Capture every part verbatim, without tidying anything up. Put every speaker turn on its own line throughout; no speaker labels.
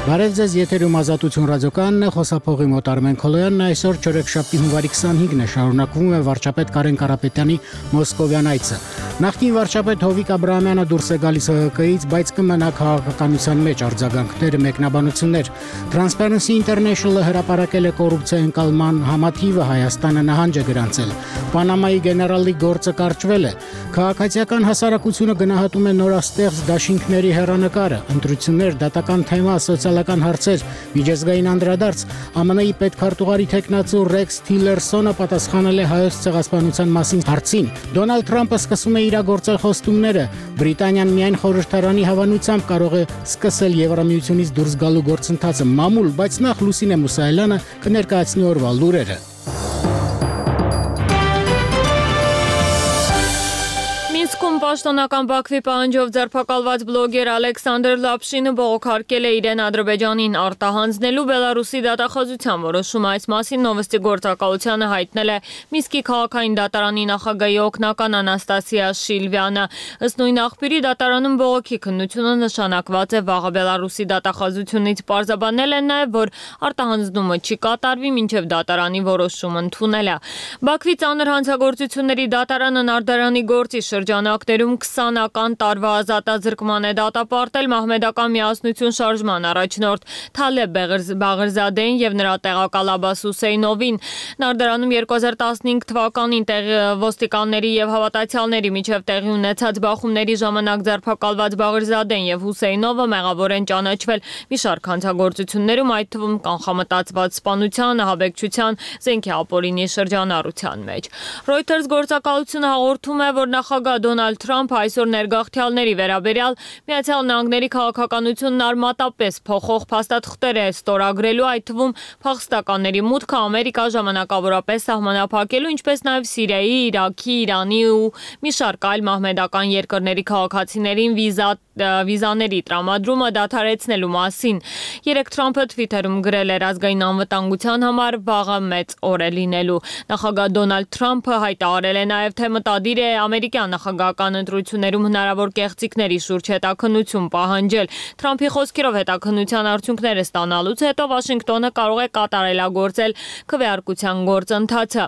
Բարև ձեզ, եթերում Ազատություն ռադիոկայանն է, խոսափողի մոտ Արմեն Քոլոյանն, այսօր չորեքշաբթի հունվարի քսանհինգն է, շարունակվում է վարչապետ Կարեն Կարապետյանի մոսկովյան այցը։ Նախկին վարչապետ Հովիկ Աբրահամյանը դուրս է գալիս Հ Հ Կից, բայց կմնա քաղաքականության մեջ արձագանքներ, մեկնաբանություններ։ Transparency International-ը հրապարակել է կոռուպցիայի ընկալման համաթիվը, Հայաստանը նահանջ է գրանցել։ Պանամայի գեներալի գործը կարճվել է։ Քաղաքացիական հասարակությունը գնահատում է նորաստեղծ դաշինքների հեռանկարը, ընտրություններ, դատական թեմա, սոցիալական հարցեր, միջազգային անդրադարձ։ Ամն Ի պետքարտուղարի թեկնածու Ռեքս Թիլերսոնը պատասխանել է հայոց ցեղասպանության մասին հարցին։ Դոնալդ Թրամփը սկսում է իրագործել խոստումները։ Բրիտանիան միայն խորհրդարանի հավանությամբ կարող է սկսել Եվրամիությունից դուրս գալու գործընթացը մամուլ, բայց նախ Լուսինե Մուսայելյանը կներկայացնի օրվա լուրերը։
Մինսկում պաշտոնական Բաքվի պահանջով ձերբակալված բլոգեր Ալեքսանդր Լապշինը բողոքարկել է իրեն Ադրբեջանին արտահանձնելու Բելարուսի դատախազության որոշումը։ Այս մասին Նովոստի գործակալությանը հայտնել է Մինսկի քաղաքային դատարանի նախագահի օգնական Անաստասիա Շիլվյանը։ Ըստ նույն աղբյուրի դատարանում բողոքի քննությունը նշանակված է վաղը Բելարուսի դատախազությունից պարզաբանել են նաև, որ արտահանձնումը չի կատարվի մինչև դատարանի որոշում ընդունելը։ Բաքվի ծանր հանցագործությունների դատարանը Նարդարանի գործի շրջանակներում քսանական տարվա ազատազրկման է դատապարտել մահմեդական միասնություն շարժման առաջնորդ Թալեբ Բաղրզադեին եւ նրա տեղակալ Աբբաս Հուսեյնովին։ Նարդարանում երկու հազար տասնհինգ թվականին ոստիկանների եւ հավատացյալների միջև տեղի ունեցած բախումների ժամանակ ձերբակալված Բաղրզադեն եւ Հուսեյնովը մեղավոր են ճանաչվել մի շարք հանցագործություններում, այդ թվում կանխամտածված սպանության, ահաբեկչության, զենքի ապօրինի շրջանառության մեջ։ Reuters գործակալությունը հաղորդում է, որ նախագահ Դոնալդ Թրամփը այսօր ներգաղթյալների վերաբերյալ Միացյալ Նահանգների քաղաքականությունն արմատապես փոխող փաստաթղթեր է ստորագրելու, այդ թվում փախստականների մուտքը Ամերիկա ժամանակավորապես սահմանափակելու, ինչպես նաև Սիրիայի, Իրաքի, Իրանի ու մի շարք այլ մահմեդական երկրների քաղաքացիներին վիզա վիզաների տրամադրումը դադարեցնելու մասին։ Երեկ Թրամփը Twitter-ում գրել էր ազգային անվտանգության համար վաղը մեծ օր է լինելու։ Նախագահ Դոնալդ Թրամփը հայտարարել է նաև, թե մտադիր է ամերիկյան նախագահական ընտրություններում հնարավոր կեղծիքների շուրջ հետաքննություն պահանջել։ Թրամփի խոսքերով հետաքննության արդյունքները ստանալուց հետո Վաշինգտոնը կարող է կատարելագործել քվեարկության գործընթացը։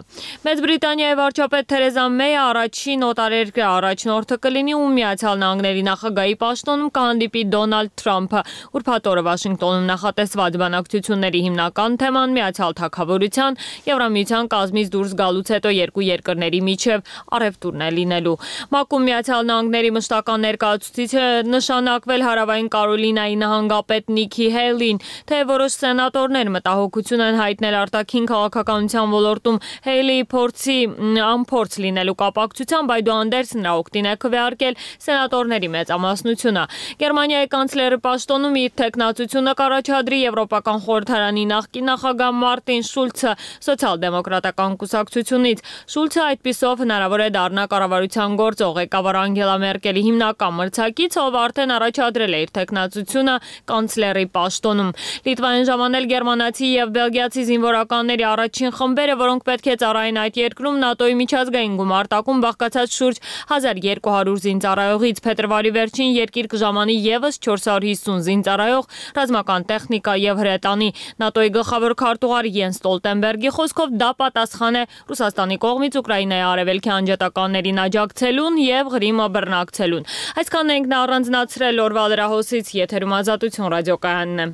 Մեծ Բրիտանիայի վարչապետ Թերեզա Մեյը առաջին օտարերկրյա առաջնորդը կլինի, ում Միացյալ Նահանգների նախագահի պաշտոնում կհանդիպի Դոնալդ Թրամփը։ Ուրբաթ օրը Վաշինգտոնում նախատեսված բանակցությունների հիմնական թեման Միացյալ Թագավորության Եվրամիության կազմից դուրս գալուց հետո երկու երկրների միջև առևտուրն է լինելու։ ՄԱԿ-ում Միացյալ Նահանգների մշտական ներկայացուցիչը նշանակվել Հարավային Կարոլինայի նահանգապետ Նիքի Հեյլին, թե որոշ սենատորներ մտահոգություն են հայտնել արտաքին քաղաքականության ոլորտում Հեյլիի փորձի անփորձ լինելու կապակցությամբ, այդուհանդերձ նրա օգտին է քվեարկել սենատորների մեծամասնությունը։ Գերմանիայի կանցլերի պաշտոնում իր թեկնածությունը կառաջադրի Եվրոպական խորհրդարանի նախկին նախագահ Մարտին Շուլցը սոցիալ-դեմոկրատական կուսակցությունից։ Շուլցը այդպիսով հնարավոր է դառնա կառավարության գործող ղեկավար Անգելա Մերկելի հիմնական մրցակից, ով արդեն առաջադրել է իր թեկնածությունը կանցլերի պաշտոնում։ Լիտվային ժամանել գերմանացի եւ բելգիացի զինվորականների առաջին խմբերը, որոնք պետք է ծառայեն այդ երկրում ՆԱՏՕ-ի միջազգային գումարտակում բաղկացած շուրջ հազար երկու հարյուր զինծառայողից։ Փետրվարի վերջին երկիր կժամանի եւս չորս հարյուր հիսուն զինծառայող, ռազմական տեխնիկա եւ հրետանի։ ՆԱՏՕ-ի գլխավոր քարտուղար Յենս Ստոլտենբերգի խոսքով դա պատասխան է Ռուսաստանի կողմից Ուկրաինայի արևելքի անջատականներին աջակցելուն եւ Ղրիմը բռնակցելուն։ Այսքանն ենք առանձնացրել օրվա լրահոսից, եթերում Ազատություն ռադիոկայանն է։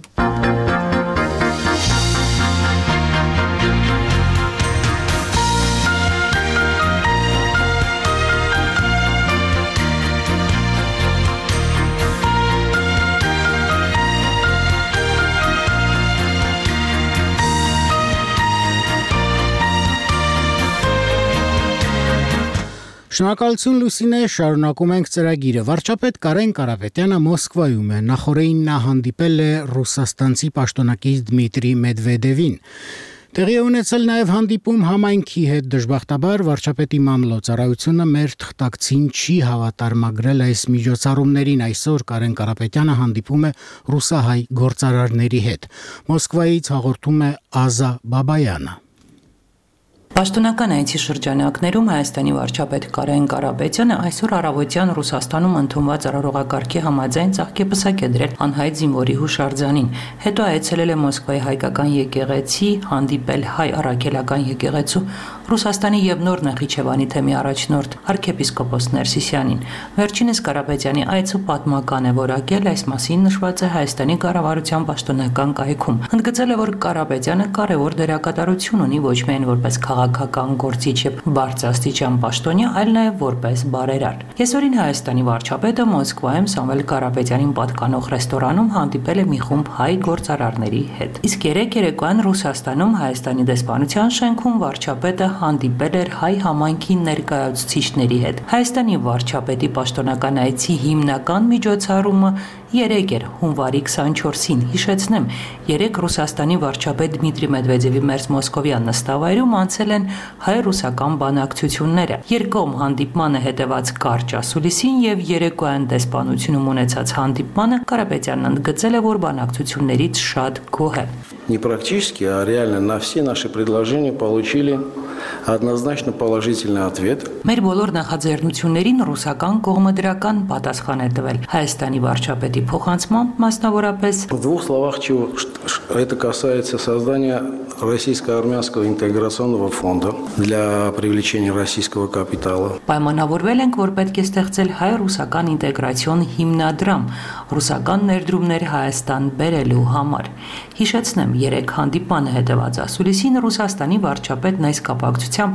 Շնորհակալություն Լուսինե, շարունակում ենք ծրագիրը։ Վարչապետ Կարեն Կարապետյանը Մոսկվայում է, նախորդին նա հանդիպել է ռուսաստանցի պաշտոնակից Դմիտրի Մեդվեդևին։ Տեղի է ունեցել նաև հանդիպում համայնքի հետ, դժբախտաբար վարչապետի մամլոյցարայությունը մեր թղթակցին չի հավատարմագրել այս միջոցառումներին։ Այսօր Կարեն Կարապետյանը հանդիպում է ռուսահայ գործարարների հետ։ Մոսկվայից հաղորդում է Ազա Բաբայանը։
Պաշտոնական այցի շրջանակներում Հայաստանի վարչապետ Կարեն Կարապետյանը այսօր առավոտյան Ռուսաստանում ընդունված արարողակարգի համաձայն ծաղկեպսակ է դրել անհայտ զինվորի հուշարձանին։ Հետո այցելել է Մոսկվայի հայկական եկեղեցի, հանդիպել հայ առաքելական եկեղեցու, Ռուսաստանի եւ Նոր Նախիջևանի թեմի առաջնորդ arczepiskopos Ներսիսյանին։ Վերջինս Կարապետյանի այցը պատմական է որակել, այս մասին նշված է Հայաստանի կառավարության պաշտոնական կայքում։ Ընդգծել է, որ Կարապետյանը կարևոր դերակատարություն ունի ոչ միայն որպես քաղաքական գործիչ եւ բարձրաստիճան պաշտոնյա, այլ նաեւ որպես բարերար։ Կեսօրին Հայաստանի վարչապետը Մոսկվայում Սամվել Կարապետյանին պատկանող ռեստորանում հանդիպել է մի խումբ հայ գործարարների հետ։ Իսկ երեք երեկոյան Ռուսաստանում Հայաստանի դեսպանության շենքում վարչապետը հանդիպել էր հայ համայնքի ներկայացուցիչների հետ։ Հայաստանի վարչապետի պաշտոնական այցի հիմնական միջոցառումը երեկ էր հունվարի քսանչորսին։ Հիշեցնեմ, երեկ Ռուսաստանի վարչապետ Դմիտրի Մեդվեդևի մերձ Մոսկովյան նստավայրում անցել են հայ-ռուսական բանակցությունները։ Երկկողմ հանդիպմանը հետևած կարճ ասուլիսին եւ երեկոյան դեսպանությունում ունեցած հանդիպմանը Կարապետյանն ընդգծել է, որ բանակցություններից շատ գոհ է։
Не практически, а реально на все наши предложения получили однозначно положительный ответ.
Մեր բոլոր նախաձեռնություններին ռուսական կողմը դրական պատասխան է տվել։ Հայաստանի վարչապետի փոխանցմամբ մասնավորապես
В двух словах, чего это касается создания российско-армянского интеграционного фонда для привлечения российского капитала.
Պայմանավորվել ենք, որ պետք է ստեղծել հայ-ռուսական ինտեգրացիոն հիմնադրամ, ռուսական ներդրումներ Հայաստան բերելու համար։ Հիշեցնեմ, երեք հանդիպանը հետևած ասուլիսին Ռուսաստանի վարչապետն այս կապակցությամբ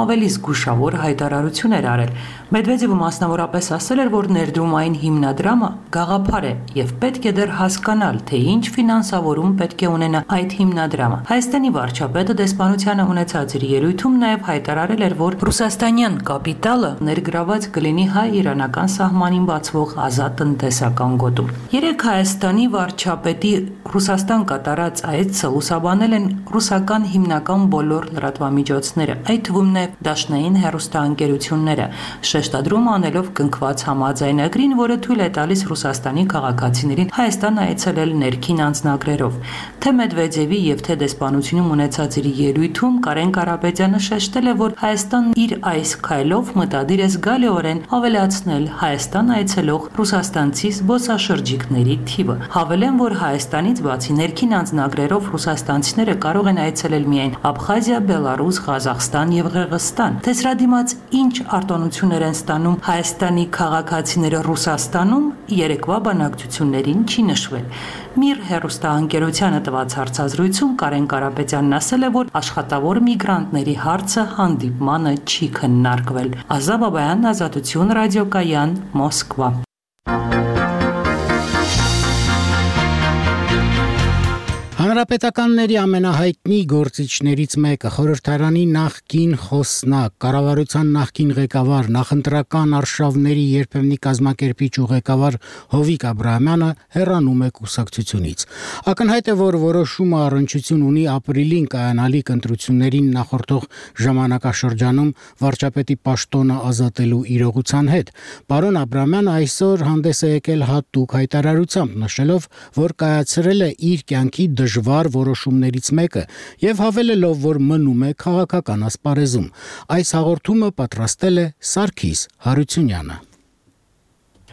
ավելի զգուշավոր հայտարարություն էր արել։ Մեդվեդևը մասնավորապես ասել էր, որ ներդրումային հիմնադրամը գաղափար է եւ պետք է դեռ հասկանալ, թե ինչ ֆինանսավորում պետք է ունենա այդ հիմնադրամը։ Հայաստանի վարչապետը դեսպանությանը ունեցած իր ելույթում նաեւ հայտարարել էր, որ ռուսաստանյան կապիտալը ներգրաված կլինի հայ-իրանական սահմանին բացվող ազատ տնտեսական գոտում։ Երեք Հայաստանի վարչապետի Ռուսաստան կատարած այցը լուսաբանել են ռուսական հիմնական բոլոր լրատվամիջոցները, այդ թվում նաև դաշնային հեռուստաընկերությունները, շեշտադրում անելով կնքված համաձայնագրին, որը թույլ է տալիս Ռուսաստանի քաղաքացիներին Հայաստան այցելել ներքին անձնագրերով։ Թե Մեդվեդևի եւ թե դեսպանությունում ունեցած իր ելույթում Կարեն Կարապետյանը շեշտել է, որ Հայաստանն իր այս քայլով մտադիր է զգալիորեն ավելացնել Հայաստան այցելող ռուսաստանցի զբոսաշրջիկների թիվը։ Հավելեն, որ Հայաստանից բացի ներքին անձնագրերով ռուսաստանցիները կարող են այցելել միայն Աբխազիա, Բելարուս, Ղազախստան եւ Ղրղստան։ Թե սրա դիմաց ինչ արտոնություններ են ստանում Հայաստանի քաղաքացիները Ռուսաստանում, երեկվա բանակցություններին չի նշվել։ Միր հեռուստաընկերությանը տված հարցազրույցում Կարեն Կարապետյանն ասել է, որ աշխատավոր միգրանտների հարցը հանդիպմանը չի քննարկվել։ Ազա Բաբայան, Ազատություն ռադիոկայան, Մոսկվա։
Հանրապետականների ամենահայտնի գործիչներից մեկը խորհրդարանի նախկին խոսնակ, կառավարության նախկին ղեկավար, նախընտրական արշավների երբեմնի կազմակերպիչ ու ղեկավար Հովիկ Աբրահամյանը հեռանում է կուսակցությունից։ Ակնհայտ է, որ որոշումը առնչություն ունի ապրիլին կայանալիք ընտրություններին նախորդող ժամանակաշրջանում վարչապետի պաշտոնը ազատելու իրողության հետ։ Պարոն Աբրահամյանը այսօր հանդես է եկել հատուկ հայտարարությամբ, նշելով, որ կայացրել է իր կյանքի դժվար որոշումներից մեկը եւ հավելելով, որ մնում է քաղաքական ասպարեզում։ Այս հաղորդումը պատրաստել է Սարգիս Հարությունյանը։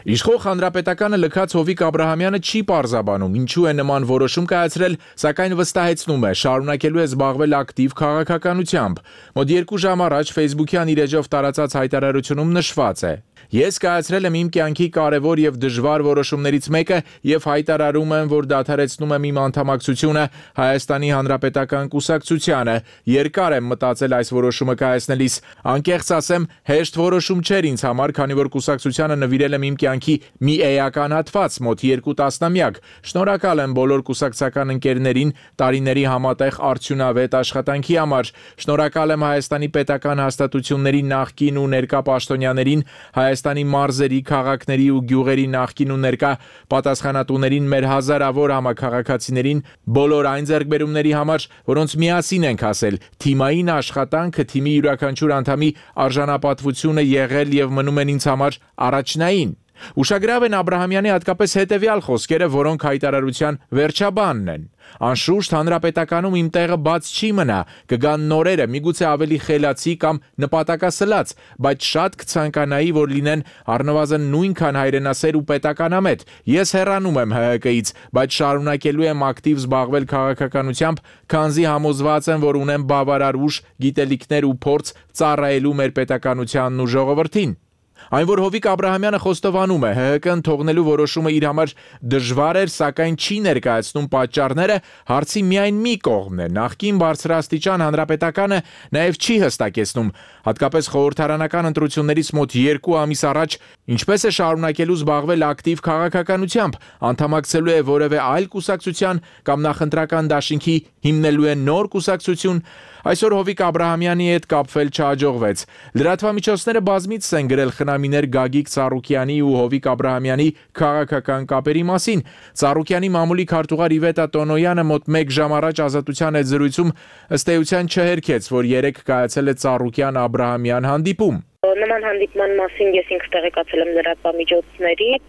Իշխող հանրապետականը լքած Հովիկ Աբրահամյանը չի պարզաբանում, ինչու է նման որոշում կայացրել, սակայն վստահեցնում է, շարունակելու է զբաղվել ակտիվ քաղաքականությամբ։ Մոտ երկու ժամ առաջ Facebook-յան իր էջով տարածած հայտարարությունում նշված է. Ես կայացրել եմ իմ կյանքի կարևոր եւ դժվար որոշումներից մեկը եւ հայտարարում եմ, որ դադարեցնում եմ իմ անդամակցությունը Հայաստանի Հանրապետական կուսակցությանը։ Երկար եմ մտածել այս որոշումը կայացնելիս։ Անկեղծ ասեմ, հեշտ որոշում չէր ինձ համար, քանի որ կուսակցությանը նվիրել եմ իմ կյանքի մի էական հատված, մոտ երկու տասնամյակ։ Շնորհակալ եմ բոլոր կուսակցական ընկերներին տարիների համատեղ արդյունավետ աշխատանքի համար։ Շնորհակալ եմ Հայաստանի պետական հաստատությունների նախկին ու ներկա պաշտոնյաներին, Հայաստանի մարզերի, քաղաքների ու գյուղերի նախկին ու ներկա պատասխանատուներին, մեր հազարավոր համաքաղաքացիներին, բոլոր այն ձեռքբերումների համար, որոնց միասին ենք հասել։ Թիմային աշխատանքը, թիմի յուրաքանչյուր անդամի արժանապատվությունը եղել եւ մնում են ինձ համար առաջնային։ Ուշագրավ են Աբրահամյանի հատկապես հետևյալ խոսքերը, որոնք հայտարարության վերջաբանն են. Անշուշտ հանրապետականում իմ տեղը բաց չի մնա, կգան նորերը, միգուցե ավելի խելացի կամ նպատակասլաց, բայց շատ կցանկանայի, որ լինեն առնվազն նույնքան հայրենասեր ու պետականամետ։ Ես հեռանում եմ Հ Հ Կից, բայց շարունակելու եմ ակտիվ զբաղվել քաղաքականությամբ, քանզի համոզված եմ, որ ունեմ բավարար ուժ, գիտելիքներ ու փորձ ծառայելու մեր պետականությանն ու ժողովրդին։ Այն, որ Հովիկ Աբրահամյանը խոստովանում է, Հ Հ Կ-ն թողնելու որոշումը իր համար դժվար էր, սակայն չի ներկայացնում պատճառները, հարցի միայն մի կողմն է։ Նախկին բարձրաստիճան հանրապետականը նաև չի հստակեցնում, հատկապես խորհրդարանական ընտրություններից մոտ երկու ամիս առաջ, ինչպես է շարունակելու զբաղվել ակտիվ քաղաքականությամբ, անդամակցելու է որևէ այլ կուսակցության կամ նախընտրական դաշինքի հիմնելու է նոր կուսակցություն։ Այսօր Հովիկ Աբրահամյանի հետ կապվել չհաջողվեց։ Լրատվամիջոցները բազմիցս են գրել խնամիներ Գագիկ Ծառուկյանի ու Հովիկ Աբրահամյանի քաղաքական կապերի մասին։ Ծառուկյանի մամուլի քարտուղար Իվետա Տոնոյանը մոտ մեկ ժամ առաջ Ազատության հետ զրույցում ըստ էության չհերքեց, որ երեկ կայացել է Ծառուկյան-Աբրահամյան հանդիպում։
Նման հանդիպման մասին ես ինքս տեղեկացել եմ լրատվամիջոցներից,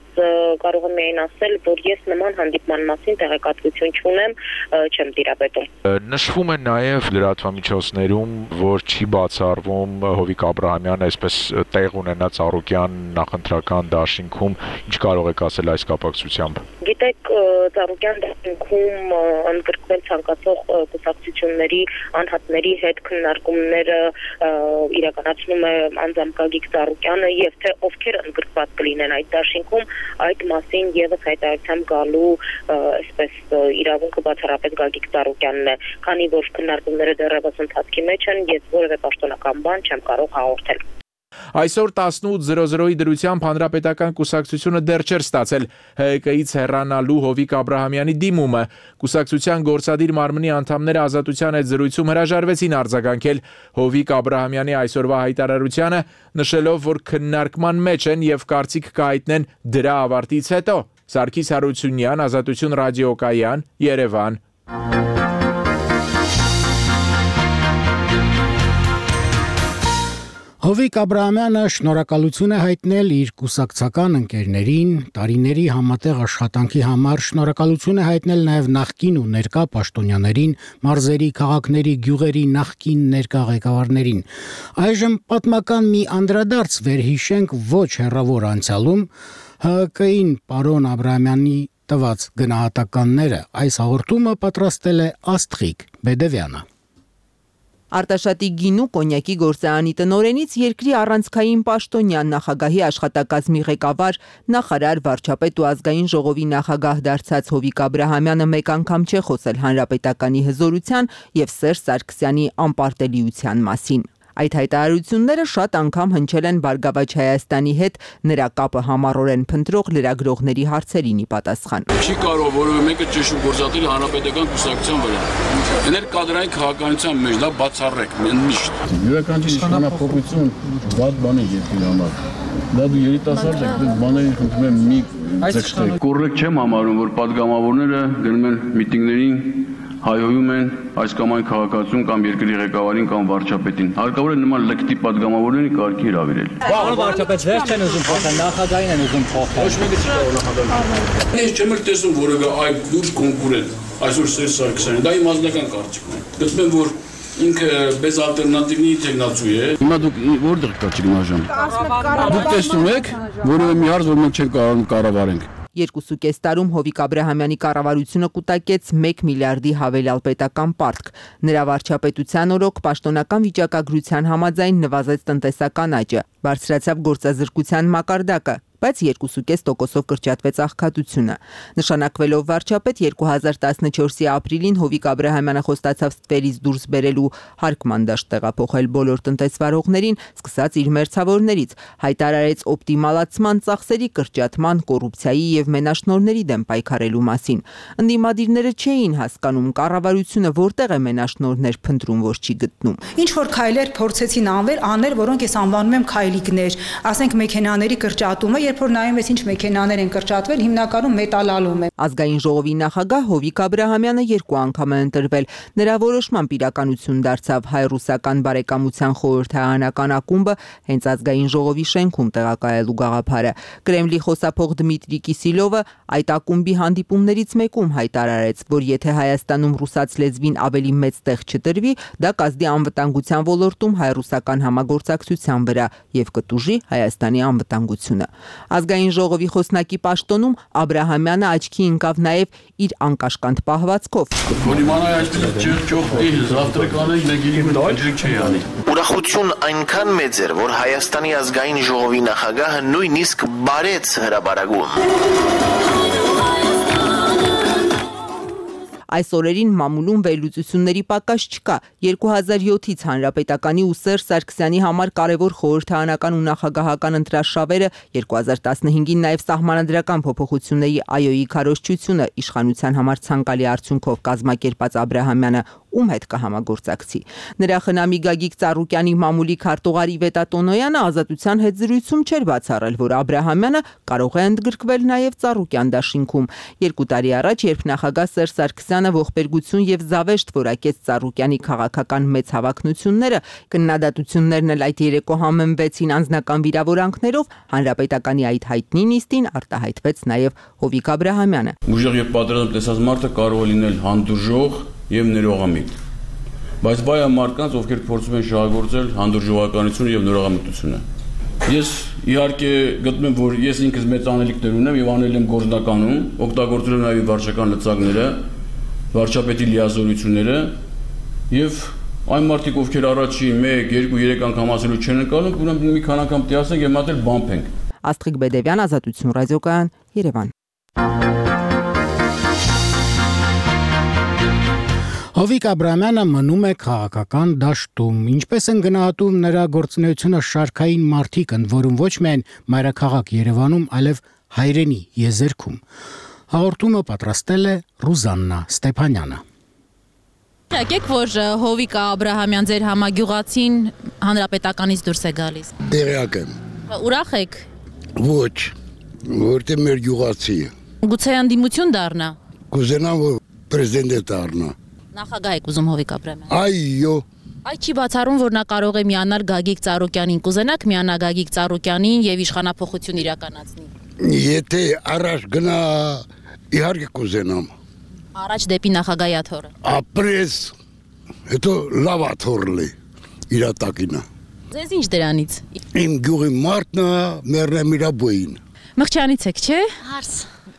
կարող եմ միայն ասել, որ ես նման հանդիպման մասին տեղեկատվություն չունեմ, չեմ տիրապետում։
Նշվում է նաև լրատվամիջոցներում, որ չի բացառվում Հովիկ Աբրահամյանը այսպես տեղ ունենա Ծառուկյան նախընտրական դաշինքում, ինչ կարող եք ասել այս կապակցությամբ։
Գիտեք, Ծառուկյան դաշինքում ընդգրկվել ցանկացող կուսակցությունների անհատների հետ քննարկումները իրականացնում է անձամբ Գագիկ Ծառուկյանը եւ թե ովքեր ընդգրկված կլինեն այդ դաշինքում, այդ մասին եւս հայտարարությամբ գալու այսպես իրավունքը բացառապես Գագիկ Ծառուկյանն է, քանի որ քննարկումները դեռևս ընթացքի մեջ են, ես որևէ պաշտոնական բան չեմ կարող հաղորդել։
Այսօր տասնութ զրո զրոյի դրությամբ հանրապետական կուսակցությունը դեռ չէր ստացել Հ Հ Կ-ից հեռանալու Հովիկ Աբրահամյանի դիմումը։ Կուսակցության գործադիր մարմնի անդամները Ազատության հետ զրույցում հրաժարվեցին արձագանքել Հովիկ Աբրահամյանի այսօրվա հայտարարությանը, նշելով, որ քննարկման մեջ են եւ կարծիք կհայտնեն դրա ավարտից հետո։ Սարգիս Հարությունյան, Ազատություն ռադիոկայան, Երևան։
Հովիկ Աբրահամյանը շնորհակալություն է հայտնել իր կուսակցական ընկերներին, տարիների համատեղ աշխատանքի համար, շնորհակալություն է հայտնել նաև նախկին ու ներկա պաշտոնյաներին, մարզերի, քաղաքների, գյուղերի նախկին ներկա ղեկավարներին։ Այժմ պատմական մի անդրադարձ վերհիշենք ոչ հեռավոր անցյալում Հ Հ Կ-ին պարոն Աբրահամյանի տված գնահատականները։ Այս հաղորդումը պատրաստել է Աստղիկ Բեդևյանը։
Արտաշատի գինու կոնյակի գործարանի տնօրենից երկրի առանցքային պաշտոնյան, նախագահի աշխատակազմի ղեկավար, նախարար, վարչապետ ու ազգային ժողովի նախագահ դարձած Հովիկ Աբրահամյանը մեկ անգամ չէ խոսել հանրապետականի հզորության եւ Սերժ Սարգսյանի անպարտելիության մասին։ Այդ հայտարարությունները շատ անգամ հնչել են Բարգավաճ Հայաստանի հետ նրա կապը համառորեն փնտրող լրագրողների հարցերին ի պատասխան։
Չի կարող որևէ մեկը ճշգրիտ գործատել հանրապետական կուսակցության վրա։ Էներ կադրային քաղաքականության մեջ դա բացառեք, միշտ։
Յուրաքանչյուր իշխանապողություն վատ բան է երկրի համար։ Դա դու երիտասարդ ես, դու բաներին խնդրում եմ մի ձգտեք։
Կոռեկտ չեմ համարում, որ падգամավորները գնում են միտինգներին, հայհոյում են այս կամ այն քաղաքացուն կամ երկրի ղեկավարին կամ վարչապետին։ Հարկավոր է նման լկտի падգամավորների կարգի հրավիրել։
Պարոն վարչապետ, վերջ չեն ուզում փոխել, նախագահին են ուզում փոխել։
Ոչ մեկը չի կարող նախագահին։ Ես չեմ տեսնում որևէ այլ լուրջ կոնկուրենտ այսօր Սերժ Սարգսյանը, դա իմ ազնական կարծիքն է։ Գտնում եմ, որ ինքը без ալտերնատիվի տեխնացու է։
Հիմա դուք որտեղ կա ճգնաժամ։ Դուք տեսնում եք, որևէ մի հարց որ մենք չենք կարող կառավարենք։
Երկուսու կես տարում Հովիկ Աբրահամյանի կառավարությունը կուտակեց մեկ միլիարդի հավելյալ պետական պարտք։ Նրա վարչապետության օրոք պաշտոնական վիճակագրության համաձայն նվազեց տնտեսական աճը, բարձրացավ գործազրկության մակարդակը, բայց երկու կես տոկոսով կրճատվեց աղքատությունը։ Նշանակվելով վարչապետ երկու հազար տասնչորսի ապրիլին Հովիկ Աբրահամյանը խոստացավ ստվերից դուրս բերելու հարկման դաշտ տեղափոխել բոլոր տնտեսվարողներին, սկսած իր մերձավորներից, հայտարարեց օպտիմալացման, ծախսերի կրճատման, կոռուպցիայի եւ մենաշնորհների դեմ պայքարելու մասին։ Ընդդիմադիրները չէին հասկանում կառավարությունը որտեղ է մենաշնորհներ փնտրում, որ չի գտնում։
Ինչ որ քայլեր փորձեցին անվել, անել, որոնք ես անվանում եմ քայլիկներ, ասենք մեքենաների կրճատումը, երբ երբ որ նայում ես ինչ մեքենաներ են կրճատվել, հիմնականում մետալալում է։
Ազգային ժողովի նախագահ Հովիկ Աբրահամյանը երկու անգամ է ընտրվել։ Նրա որոշմամբ իրականություն դարձավ հայ-ռուսական բարեկամության խորհրդարանական ակումբը հենց ազգային ժողովի շենքում տեղակայելու գաղափարը։ Կրեմլի խոսափող Դմիտրի Կիսիլովը այդ ակումբի հանդիպումներից մեկում հայտարարեց, որ եթե Հայաստանում ռուսաց լեզվին ավելի մեծ տեղ չտրվի, դա կազդի անվտանգության ոլորտում հայ-ռուսական համագործակցության վրա եւ կտուժի Հայաստանի անվտանգությունը։ Ազգային ժողովի խոսնակի պաշտոնում Աբրահամյանը աչքի ընկավ նաեւ իր անկաշկանդ պահվածքով։
Ուրախություն այնքան մեծ էր, որ Հայաստանի ազգային ժողովի նախագահը նույնիսկ բարեց հրաբարագում։
Այս օրերին մամուլում վերլուծությունների պակաս չկա։ երկու հազար յոթից Հանրապետականի ու Սերժ Սարգսյանի համար կարևոր խորհրդարանական ու նախագահական ընտրաշավերը, երկու հազար տասնհինգին նաև սահմանադրական փոփոխությունների այոյի քարոզչությունը իշխանության համար ցանկալի արդյունքով կազմակերպած Աբրահամյանը ում հետ կհամագործակցի։ Նրա խնամի Գագիկ Ծառուկյանի մամուլի քարտուղար Իվետա Տոնոյանը Ազատության հետ զրույցում չէր բացառել, որ Աբրահամյանը կարող է ընդգրկվել նաև Ծառուկյան դաշինքում։ Երկու տարի առաջ, երբ նախագահ Սերժ Սարգսյանը ողբերգություն եւ զավեշտ որակեց Ծառուկյանի քաղաքական մեծ հավակնությունները, քննադատություններն էլ այդ երեկո համեմվեցին անձնական վիրավորանքներով, հանրապետականի այդ հայտնի նիստին արտահայտվեց նաև Հովիկ Աբրահամյանը։
Ուժեղ եւ պատրաստ տեսած մարդը կարող է լինել հանդուրժող եւ ներողամիտ, բայց վայ մարդկանց, ովքեր փորձում են շահագործել հանդուրժողականությունը եւ նորողամտությունը։ Ես իհարկե գտնում եմ, որ ես ինքս մեծ անելիքներ ունեմ եւ անել եմ գործնականում, օգտագործել եմ նաեւ վարչական լծակները, վարչապետի լիազորությունները եւ այն մարդիկ, ովքեր առաջի մեկ, երկու, երեք անգամ ասելու չեն ընկալում, ուրեմն մի քանի անգամ տիասենք եւ մատել բամփենք։
Աստղիկ Բեդևյան, Ազատություն ռադիոկայան, Երևան։
Հովիկ Աբրահամյանը մնում է քաղաքական դաշտում, ինչպես են գնահատում նրա գործունեությունը շարքային մարդիկ, ընդ որում ոչ միայն մայրաքաղաք Երևանում, այլև հայրենի եզերքում։ Հաղորդումը պատրաստել է Ռուզաննա Ստեփանյանը։
Եկեք, որ Հովիկ Աբրահամյան ձեր համագյուղացին հանրապետականից դուրս է գալիս։
Տեղյակ եմ։
Ուրախ եք։
Ոչ, որտե մեր գյուղացի է։
Գուցե անդիմություն դառնա։
Կուզենամ, որ պրեզիդենտ դառնա։
Նախագահ եք ուզում Հովիկ Աբրահամյան։
Այո։
Այդ չի բացառում, որ նա կարող է միանալ Գագիկ Ծառուկյանին։ Կուզենաք միանա Գագիկ Ծառուկյանին եւ իշխանափոխություն իրականացնի։
Եթե առաջ գնա, իհարկե կուզենամ։
Առաջ դեպի նախագահի աթոռը։
Ապրես, հետո լավ աթոռլի իր տակինը։
Ձեզ ինչ դրանից։
Իմ գյուղի մարդն է, մեռնեմ իր բույն։
Մղճյանից եք, չէ։
Հարս։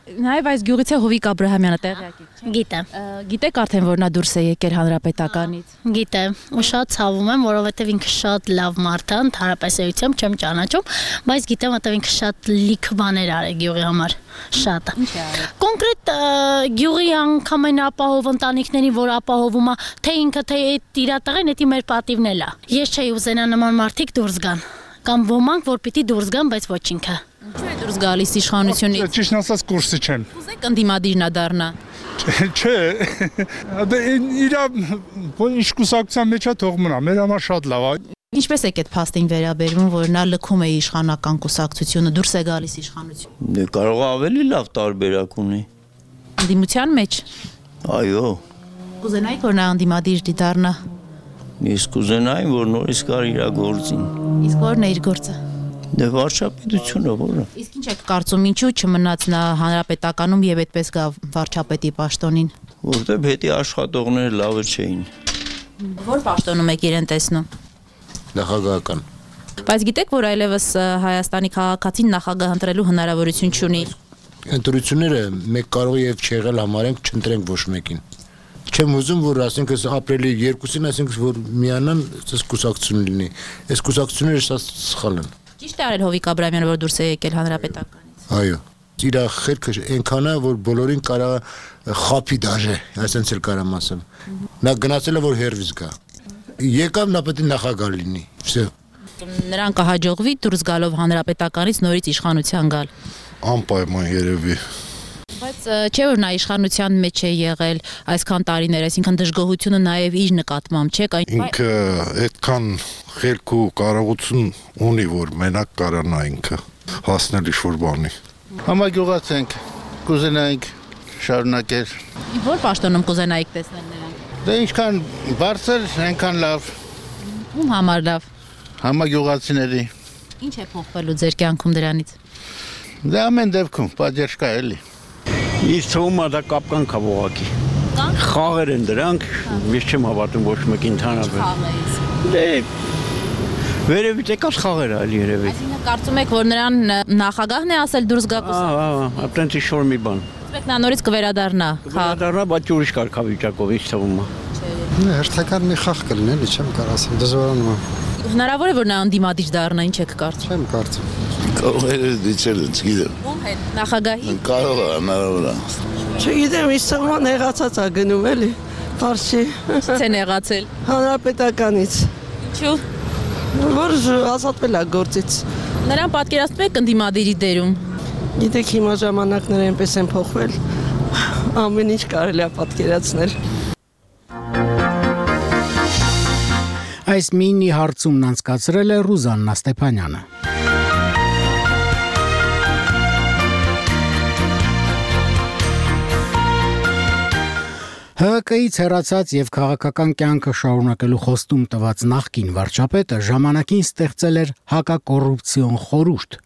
Նաև այս գյուղից է Հովիկ Աբրահամյանը տեղյակ եք, չէ։
Գիտեմ։
Գիտեք արդեն, որ նա դուրս է եկել հանրապետականից։
Գիտեմ, ու շատ ցավում եմ, որովհետև ինքը շատ լավ մարդ է, ընդհանրապես էությամբ չեմ ճանաչում, բայց գիտեմ, որովհետև ինքը շատ լիք բաներ արել գյուղի համար, շատ։
Ինչ է արել։
Կոնկրետ գյուղի անգամեն ապահով ընտանիքներին, որ ապահովում է, թե ինքը, թե այդ իր տղեն, դա մեր պատիվն էլ է։ Ես չէի ուզենա նման մարդիկ դուրս գան, կամ ոմանք, որ պիտի դուրս գան, բայց ոչ ինքը։
Ինչու է դուրս գալիս իշխանությունից։
Ճիշտ ասած կուրսի չեմ։
Ուզեք ընդդիմադիր նա դառնա։
Չէ։ Դե իր ինչ կուսակցության մեջ է թող մնա, մեր համար շատ լավ է։
Ինչպես եք այդ փաստին վերաբերվում, որ նա լքում է իշխանական կուսակցությունը, դուրս է գալիս իշխանություն։
Դե կարող է ավելի լավ տարբերակ ունի։
Ընդդիմության մեջ։
Այո։
Կուզենայիք, որ նա ընդդիմադիր դառնա։
Ես կուզենայի, որ նորից գար իր գործին։
Իսկ ո՞րն է իր գործը։
Դե վարչապետությունը որը։
Իսկ ինչ եք կարծում, ինչու չմնաց նա հանրապետականում եւ այդպես գա վարչապետի պաշտոնին։
Որտեղ հետի աշխատողները լավը չէին։
Որ պաշտոնում եք իրեն տեսնում։
Նախագահական։
Բայց գիտեք, որ այլևս Հայաստանի քաղաքացին նախագահ ընտրելու հնարավորություն չունի։
Ընտրությունները մեկ կարող եւ չեղել համարենք, չընտրենք ոչ մեկին։ Չեմ ուզում, որ ասենք ապրիլի երկուսին, ասենք որ միանան, այս կուսակցություն լինի։ Այս կուսակցությունները շատ սխալ են։
Ճիշտ է արել Հովիկ Աբրահամյանը, որ դուրս է եկել հանրապետականից։
Այո։ Իր խելքը այնքան է, որ բոլորին կարա խափի դաժե, այսպես էլ կարամ ասեմ։ Նա գնացել է, որ հերվից գա։ Եկավ նա պետք է նախագահ լինի։ Всё։
Նրան կհաջողվի դուրս գալով հանրապետականից նորից իշխանության գալ։
Անպայման երևի։
Բայց չէ որ նա իշխանության մեջ է եղել այսքան տարիներ, այսինքն դժգոհությունը նաև իր նկատմամբ, չէ՞։
Ինքը այդքան խելք ու կարողություն ունի, որ մենակ կարանա ինքը։ հասնել ինչ-որ բանի։
Համագյուղացենք, կուզենայինք շարունակել։
Որ պաշտոնում կուզենայիք տեսնել նրանք։
Դե ինչքան բարձր, այնքան լավ։
Ում համար լավ։
Համագյուղացիների։
Ինչ է փոխվելու ձեր կյանքում դրանից։
Դե ամեն դեպքում պատժ կա էլի։
Իսկ թվում է դա կապկան կա ողակի։ Խաղեր են դրանք, ես չեմ հավատում ոչ մեկին ընդհանրապես։ Դե վերևից եկած խաղեր այլ երևի։
Այսինքն կարծում եք, որ նրան նախագահն է ասել դուրս գա կուսակցությունից։
Ահա, ահա, այդպես ինչ-որ մի բան։
Եք նա նորից կվերադառնա։
Կվերադառնա, բայց ուրիշ կարգավիճակով ինչ թվում է։
Հերթական մի խաղ կլինի, էլի չեմ կարող ասեմ, դժվարանում է։
Հնարավոր է որ նա անդիմադիր դառնա, ինչ եք կարծում։
Չեմ կարծում։
Կարող է դիցել, չգիտեմ։
Ում հետ, նախագահի։
Կարող է, հնարավոր է։
Չգիտեմ, ինչ սահման հեղացած է գնում էլի, պարզ չի։
Ինչից են հեղացել։
Հանրապետականից։
Ինչու։
Որ ազատվել է գործից։
Նրան պատկերացնում եք ընդդիմադիրի դերում։
Գիտեք, հիմա ժամանակները այնպես են փոխվել, ամեն ինչ կարելի է պատկերացնել։
Այս մինի հարցումն անցկացրել է Ռուզաննա Ստեփանյանը։ Հ Կ-ից հեռացած եւ քաղաքական կյանքը շարունակելու խոստում տված նախկին վարչապետը ժամանակին ստեղծել էր հակակոռուպցիոն խորհուրդ։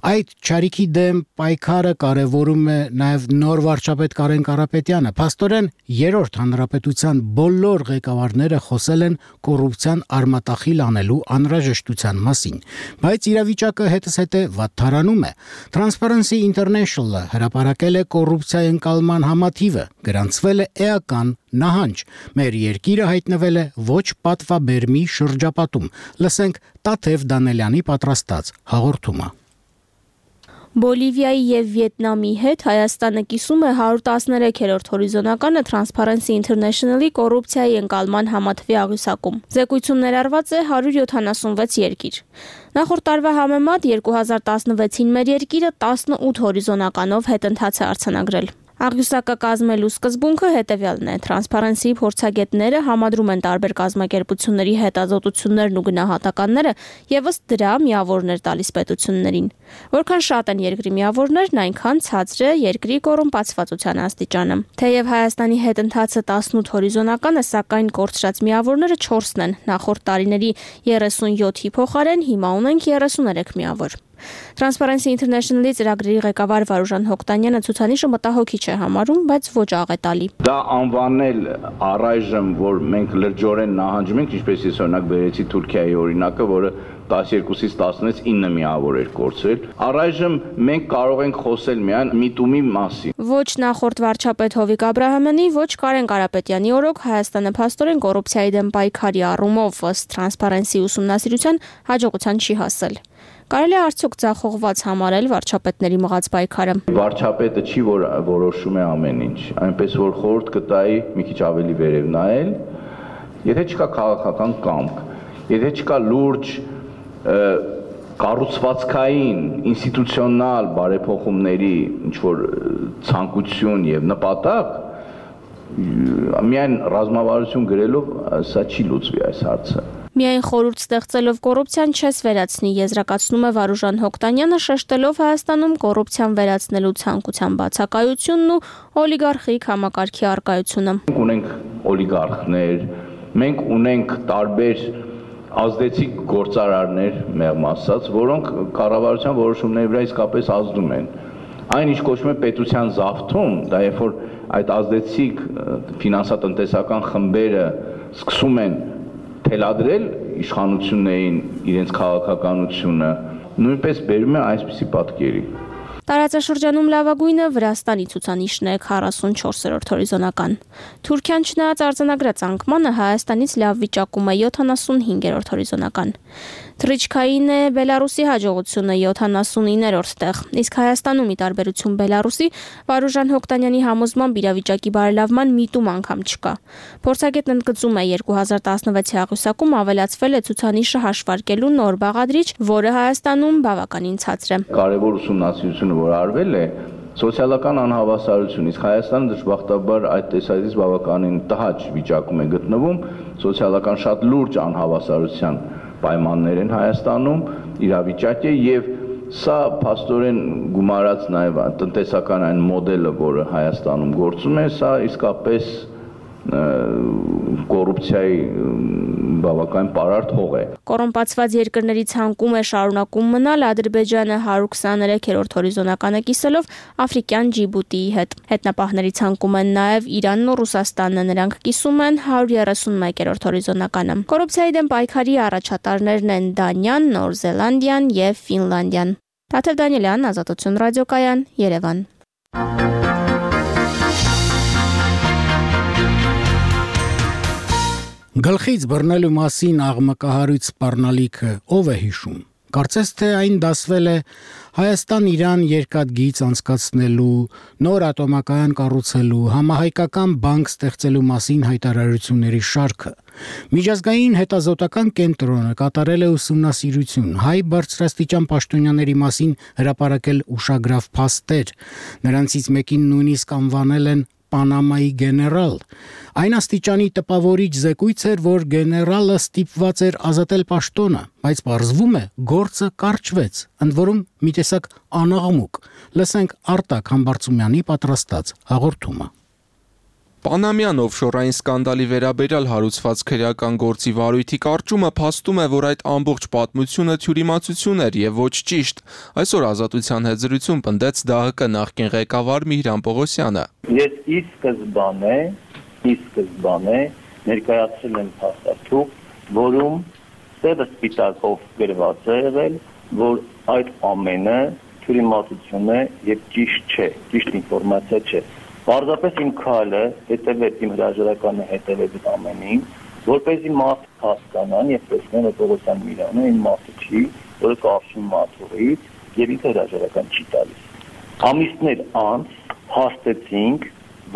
Այդ ճարիքի դեմ պայքարը կարևորում է նաև նոր վարչապետ Կարեն Կարապետյանը։ Փաստորեն երրորդ հանրապետության բոլոր ղեկավարները խոսել են կոռուպցիան արմատախիլ անելու անհրաժեշտության մասին, բայց իրավիճակը հետզհետե վատթարանում է։ Transparency International-ը հրապարակել է կոռուպցիայի ընկալման համաթիվը, գրանցվել է էական նահանջ։ Մեր երկիրը հայտնվել է ոչ պատվաբերմի շրջապատում։ Լսենք Տաթև Դանելյանի պատրաստած հաղորդումը։
Բոլիվիայի եւ Վիետնամի հետ Հայաստանը կիսում է հարյուր տասներեքերորդ հորիզոնականը Transparency International-ի կոռուպցիայի ընկալման համատվի աղյուսակում։ Զեկույցում ներառված է հարյուր յոթանասունվեց երկիր։ Նախորդ տարվա համեմատ երկու հազար տասնվեցին մեր երկիրը տասնութ հորիզոնականով հետընթաց է արձանագրել։ Աղյուսակը կազմելու սկզբունքը հետևյալն է. Transparency-ի փորձագետները համադրում են տարբեր կազմակերպությունների հետազոտություններն ու գնահատականները եւ ըստ դրա միավորներ տալիս պետություններին։ Որքան շատ են երկրի միավորներն, այնքան ցածր է երկրի կոռումպացվածության աստիճանը։ Թեև Հայաստանի հետընթացը տասնութ հորիզոնական է, սակայն կորցրած միավորները չորսն են։ Նախորդ տարիների երեսունյոթի փոխարեն հիմա ունենք երեսուներեք միավոր։ Transparency International-ի ծրագրերի ղեկավար Վարուժան Հոկտանյանը ցուցանիշը մտահոգիչ է համարում, բայց ոչ աղետալի։
Դա անվանել առայժմ, որ մենք լրջորեն նահանջում ենք, ինչպես ես օրինակ բերեցի Թուրքիայի օրինակը, որը տասներկուսից տասնից ինը միավոր էր կորցրել։ Առայժմ մենք կարող ենք խոսել միայն միտումի մասին։
Ոչ նախորդ վարչապետ Հովիկ Աբրահամյանի, ոչ Կարեն Կարապետյանի օրոք Հայաստանը փաստորեն կոռուպցիայի դեմ պայքարի առումով ըստ Transparency ուսումնասիրության հաջողության չի հասել։ Կարելի է արդյոք ձախողված համարել վարչապետների մղած պայքարը։
Վարչապետը չի որ որոշում է ամեն ինչ, այնպես որ խորհուրդ կտայի մի քիչ ավելի վերև նայել, եթե չկա քաղաքական կամք, եթե չկա լուրջ կառուցվածքային, ինստիտուցիոնալ բարեփոխումների ինչ որ ցանկություն եւ նպատակ, միայն ռազմավարություն գրելով սա չի լուծվի այս հարցը։
Միայն խորհուրդ ստեղծելով կոռուպցիան չես վերացնի, եզրակացնում է Վարուժան Հոկտանյանը, շեշտելով Հայաստանում կոռուպցիան վերացնելու ցանկության բացակայությունն ու օլիգարխիկ համակարգի առկայությունը։
Մենք ունենք օլիգարխներ, մենք ունենք տարբեր ազդեցիկ գործարարներ, մեղմ ասած, որոնք կառավարության որոշումների վրա իսկապես ազդում են։ Այն ինչ կոչվում է պետության զավթում, դա երբ որ այդ ազդեցիկ ֆինանսատնտեսական խմբերը սկսում են թելադրել իշխանություններին իրենց քաղաքականությունը, նույնպես բերում է այսպիսի պատկերի։
Տարածաշրջանում լավագույնը Վրաստանի ցուցանիշն է քառասունչորսերորդ հորիզոնական։ Թուրքիան չնայած արձանագրած անկմանը Հայաստանից լավ վիճակում է յոթանասունհինգերորդ հորիզոնական։ Թռիչքային է Բելարուսի հաջողությունը յոթանասունիններորդ տեղ, իսկ Հայաստանում ի տարբերություն Բելարուսի Վարուժան Հոկտանյանի համոզմամբ իրավիճակի բարելավման միտում անգամ չկա։ Փորձագետն ընդգծում է երկու հազար տասնվեցի աղյուսակում ավելացվել է ցուցանիշը հաշվարկելու նոր բաղադրիչ, որը Հայաստանում բավականին ցածր է։
Կարևոր ուսումնասիրությունը որ արվել է սոցիալական անհավասարություն, իսկ Հայաստանը դժբախտաբար այդ տեսակետից բավականին տհաճ վիճակում է գտնվում, սոցիալական շատ լուրջ անհավասարության պայմաններ են Հայաստանում, իրավիճակ է եւ սա փաստորեն գումարած նաև տնտեսական այն մոդելը, որը Հայաստանում գործում է, սա իսկապես կոռուպցիայի բավական պարարտ հող է։
Կոռումպացված երկրների ցանկում է շարունակում մնալ Ադրբեջանը հարյուր քսաներեքերորդ հորիզոնականը կիսելով Աֆրիկյան Ջիբուտիի հետ։ Հետնապահների ցանկում են նաև Իրանն ու Ռուսաստանը, նրանք կիսում են հարյուր երեսունմեկերորդ հորիզոնականը։ Կոռուպցիայի դեմ պայքարի առաջատարներն են Դանիան, Նոր Զելանդիան եւ Ֆինլանդիան։ Տաթև Դանիելյան, Ազատություն ռադիոկայան, Երևան։
Գլխից բռնելու մասին աղմկահարույց սպառնալիքը ով է հիշում։ Կարծես թե այն դասվել է Հայաստան-Իրան երկաթգիծ անցկացնելու, նոր ատոմակայան կառուցելու, համահայկական բանկ ստեղծելու մասին հայտարարությունների շարքը։ Միջազգային հետազոտական կենտրոնը կատարել է ուսումնասիրություն հայ բարձրաստիճան պաշտոնյաների մասին հրապարակել ուշագրավ փաստեր։ Նրանցից մեկին նույնիսկ անվանել են Պանամայի գեներալ։ Այն աստիճանի տպավորիչ զեկույց էր, որ գեներալը ստիպված էր ազատել պաշտոնը, բայց պարզվում է գործը կարճվեց, ընդ որում մի տեսակ անաղմուկ։ Լսենք Արտակ Համբարձումյանի պատրաստած հաղորդումը։
Պանամյան օֆշորային սկանդալի վերաբերյալ հարուցված քրեական գործի վարույթի կարճումը փաստում է, որ այդ ամբողջ պատմությունը թյուրիմացություն էր եւ ոչ ճիշտ։ Այսօր Ազատության հետ զրույցում պնդեց ԴԱՀԿ նախկին ղեկավար Միհրան Պողոսյանը։
Ես ի սկզբանե, ի սկզբանե ներկայացրել եմ փաստաթուղթ, որում սևը սպիտակով գրված է եղել, որ այդ ամենը թյուրիմացություն է եւ ճիշտ չէ, ճիշտ ինֆորմացիա չէ։ Պարզապես իմ քայլը հետևել, իմ հրաժարականը հետևել այդ ամենին, որպեսզի մարդիկ հասկանան եւ տեսնեն, որ Պողոսյան Միրանը այն մարդը չի, որը կապվում մաթուղից եւ ինքը հրաժարական չի տալիս։ Ամիսներ անց հաստեցինք,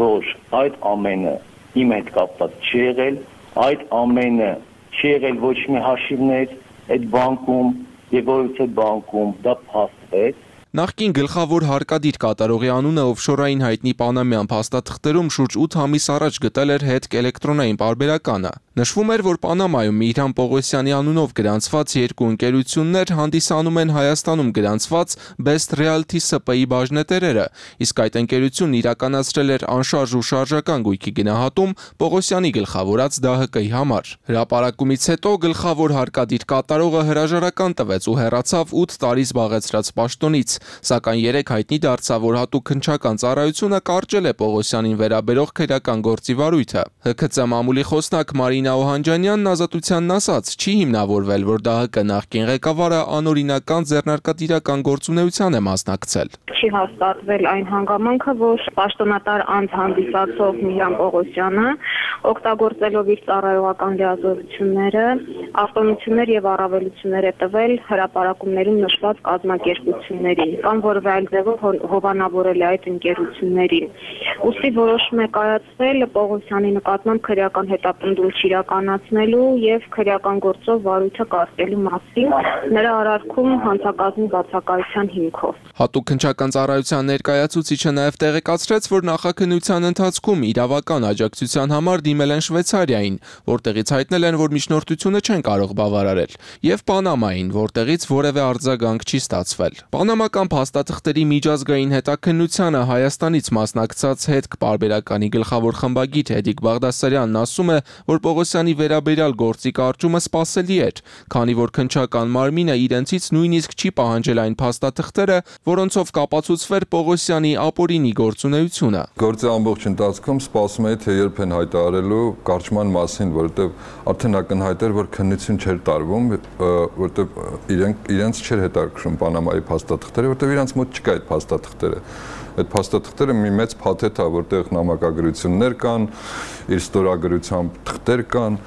որ այդ ամենը իմ հետ կապված չի եղել, այդ ամենը չի եղել ոչ մի հաշիվներ այդ բանկում եւ որից այդ բանկում դա փաստվեց։
Նախկին գլխավոր հարկադիր կատարողի անունը օֆշորային հայտնի պանամյան փաստաթղթերում շուրջ ութ ամիս առաջ գտել էր հետք էլեկտրոնային պարբերականը։ Նշվում էր, որ Պանամայում Միհրան Պողոսյանի անունով գրանցված երկու ընկերություններ հանդիսանում են Հայաստանում գրանցված Best Realty Ս Պ Ի բաժնետերերը, իսկ այդ ընկերությունն իրականացրել էր անշարժ ու շարժական գույքի գնահատում Պողոսյանի գլխավորած ԴԱՀԿ-ի համար։ Հրապարակումից հետո գլխավոր հարկադիր կատարողը հրաժարական տվեց ու հեռացավ ութ տարի զբաղեցրած պաշտոնից, սակայն երեք հայտնի դարձավ, որ հատուկ քննչական ծառայությունը կարճել է Պողոսյանին վերաբերող քրեական գործի վարույթը։ Հ K Ծ մամուլի խոսնակ Մարինա Օհանջանյանն Ազատությանն ասաց, չի հիմնավորվել, որ ԴԱՀԿ նախկին ղեկավարը անօրինական ձեռնարկատիրական գործունեության է մասնակցել։
Չի հաստատվել այն հանգամանքը, որ պաշտոնատար անձ հանդիսացող Միհրան Պողոսյանը օգտագործելով իր ծառայողական լիազորությունները, արտոնություններ եւ առավելություններ է տվել հրապարակումներում նշված կազմակերպություններին, կամ որևէ այլ ձևով հովանավորել է այդ ընկերություններին։ Ուստի որոշում է կայացվել Պողոսյանի նկատմամբ քրեական հետապնդում իրականացնելու եւ քրեական գործով վարույթը կարգելու մասին նրա արարքում հանցակազմի բացակայության հիմքով։
Հատուկ քննչական ծառայության ներկայացուցիչը նաև տեղեկացրեց, որ նախաքննության ընթացքում իրավական աջակցության համար դիմել են Շվեյցարիային, որտեղից հայտնել են, որ միջնորդությունը չեն կարող բավարարել, եւ Պանամային, որտեղից որևէ արձագանք չի ստացվել։ Պանամական փաստաթղթերի միջազգային հետաքննությանը Հայաստանից մասնակցած հետք պարբերականի գլխավոր խմբագիր Հեդիկ Բաղդասարյանն ասում է, որ Պողոսյանի վերաբերյալ գործի կարճումը սպասելի էր, քանի որ քննչական մարմինը իրենցից նույնիսկ չի պահանջել այն փաստաթղթերը, որոնցով կապացուցվեր Պողոսյանի ապօրինի գործունեությունը։
Գործի ամբողջ ընթացքում սպասում էի, թե երբ են հայտարարելու կարճման մասին, որովհետև արդեն ակնհայտ էր, որ քննություն չէր տարվում, որովհետև իրենք իրենց չէր հետաքրքրում Պանամայի փաստաթղթերը, որովհետև իրենց մոտ չկա այդ փաստաթղթերը։ Այդ փաստաթղթերը մի մեծ փաթեթ է, որտեղ նամակագրություններ կան, իր ստորագրությամբ թղթեր կան,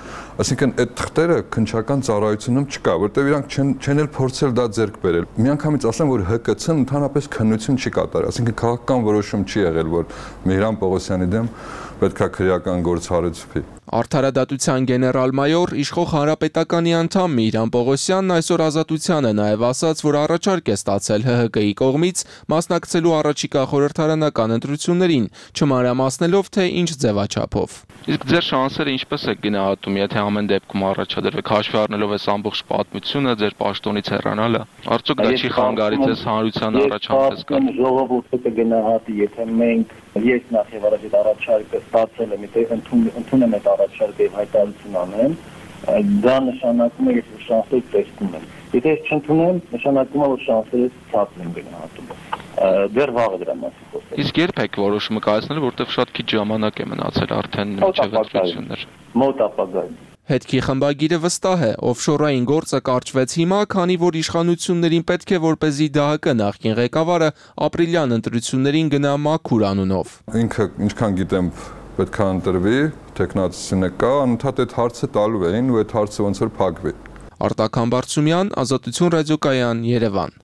այսինքն այդ թղթերը քննչական ծառայությունում չկա, որտեղ իրանք չեն չեն էլ փորձել դա ձեռք բերել։ Միանգամից ասեմ, որ Հ K Ց-ն ընդհանրապես քննություն չի կատարել, այսինքն քաղաքական որոշում չի եղել, որ Միհրան Պողոսյանի դեմ պետքա քրեական գործ հարուցվի։
Արդարադատության գեներալ-մայոր իշխող հանրապետականի անդամ Միհրան Պողոսյանն այսօր Ազատությանը նաև ասաց, որ առաջարկ է ստացել Հ Հ Կ-ի կողմից մասնակցելու առաջիկա խորհրդարանական ընտրություններին, չմանրամասնելով, թե ինչ ձևաչափով։
Իսկ ձեր շանսերը ինչպես եք գնահատում, եթե ամեն դեպքում առաջադրվեք, հաշվի առնելով այս ամբողջ պատմությունը, ձեր պաշտոնից հեռանալը, արդյոք դա չի խանգարի ձեզ հանրության առաջանքից գալ։
Ժողովուրդը կգնահատի, եթե մենք ես նախ եւ առաջ այդ առաջարկը ստացել եմ, եթե ընդունում եմ առաջարկը եւ հայտարարություն անեմ, դա նշանակում է, ես շանսեր տեսնում եմ։ Եթե ես չընդունեմ, նշանակում է, որ շանսերս ցածր են գնահատում։ Դեռ վաղը դրա մասին խոսել։
Իսկ երբ եք որոշումը կայացնել, որտեղ շատ քիչ ժամանակ է մնացել արդեն մինչև ընտրություններ։
Մոտ ապագայում։
Հետքի խմբագիրը վստահ է, օֆշորային գործը կարճվեց հիմա, քանի որ իշխանություններին պետք է որպեսզի Դահ Կը նախկին ղեկավարը ապրիլյան ընտրություններին գնա մաքուր անունով։
Ինքը ինչքան գիտեմ պետք է ընտրվի, տեխնացությունը կա, անընդհատ այդ հարցը տալու էին ու այդ հարցը ոնց որ փակվի։
Արտակ Համբարձումյան, Ազատություն ռադիոկայան, Երևան։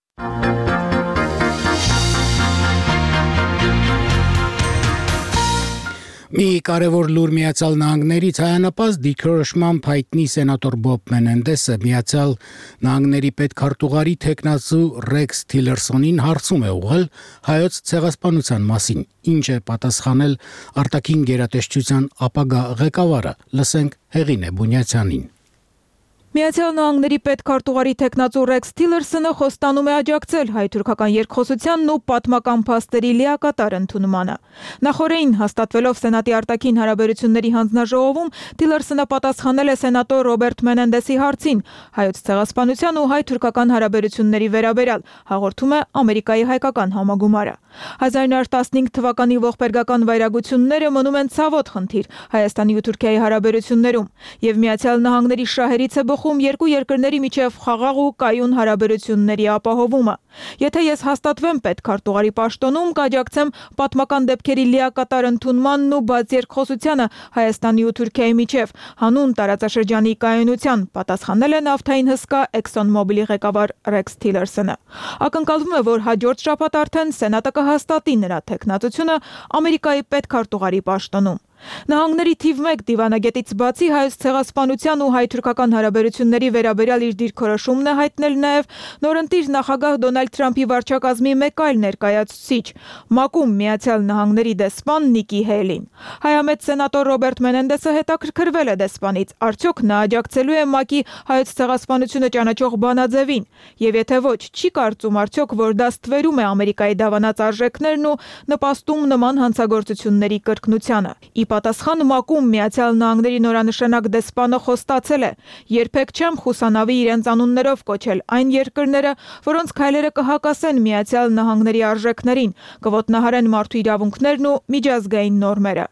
Մի կարևոր լուր Միացյալ Նահանգներից հայանապաստ դիրքորոշմամբ հայտնի սենատոր Բոբ Մենենդեսը Միացյալ Նահանգների պետքարտուղարի թեկնածու Ռեքս Թիլերսոնին հարցում է ուղղել հայոց ցեղասպանության մասին, ինչ է պատասխանել արտաքին գերատեսչության ապագա ղեկավարը։ Լսենք Հեղինե Բունյացյանին։
Միացյալ Նահանգների պետքարտուղարի թեկնածու Ռեքս Թիլերսոնը խոստանում է աջակցել հայ-թուրքական երկխոսությանն ու պատմական փաստերի լիակատար ընդունմանը։ Նախորդին հաստատվելով Սենատի արտաքին հարաբերությունների հանձնաժողովում Թիլերսոնը պատասխանել է սենատոր Ռոբերտ Մենենդեսի հարցին հայոց ցեղասպանության ու հայ-թուրքական հարաբերությունների վերաբերյալ, հաղորդում է Ամերիկայի հայկական համագումարը։ հազար նույն հարյուր տասնհինգ թվականի ողբերգական վայրագությունները մնում են ցավոտ խնդիր Հայաստանի ու Թուրքիայի հարաբերություններում, եւ Միացյալ Նահանգների շահերից է երկու երկրների միջև խաղաղ ու կայուն հարաբերությունների ապահովումը։ Եթե ես հաստատվեմ պետքարտուղարի պաշտոնում, կաջակցեմ պատմական դեպքերի լիակատար ընդունմանն ու բաց երկխոսությանը Հայաստանի ու Թուրքիայի միջև, հանուն տարածաշրջանի կայունության, պատասխանել է նավթային հսկա ExxonMobil-ի ղեկավար Ռեքս Թիլերսոնը։ Ակնկալվում է, որ հաջորդ շաբաթ արդեն Սենատը կհաստատի նրա թեկնածությունը Ամերիկայի պետքարտուղարի պաշտոնում։ Նահանգների թիվ մեկ դիվանագետից բացի հայոց ցեղասպանության ու հայ-թուրքական հարաբերությունների վերաբերյալ իր դիրքորոշումն է հայտնել նաև նորընտիր նախագահ Դոնալդ Թրամփի վարչակազմի մեկ այլ ներկայացուցիչ, ՄԱԿ-ում Միացյալ Նահանգների դեսպան Նիկի Հեյլին։ Հայամետ սենատոր Ռոբերտ Մենենդեսը հետաքրքրվել է դեսպանից, արդյոք նա աջակցելու է ՄԱԿ-ի հայոց ցեղասպանությունը ճանաչող բանաձևին, եւ եթե ոչ, չի կարծում արդյոք, որ դա ստվերում է Ամերիկայի դավանած արժեքներն ու նպաստում նման հանցագործությունների կրկնությանը։ Պատասխան ՄԱԿ-ում Միացյալ Նահանգների նորանշանակ դեսպանը խոստացել է. երբեք չեմ խուսանավի իրենց անուններով կոչել այն երկրները, որոնց քայլերը կհակասեն Միացյալ Նահանգների արժեքներին, կոտնահարեն մարդու իրավունքներն ու միջազգային նորմերը։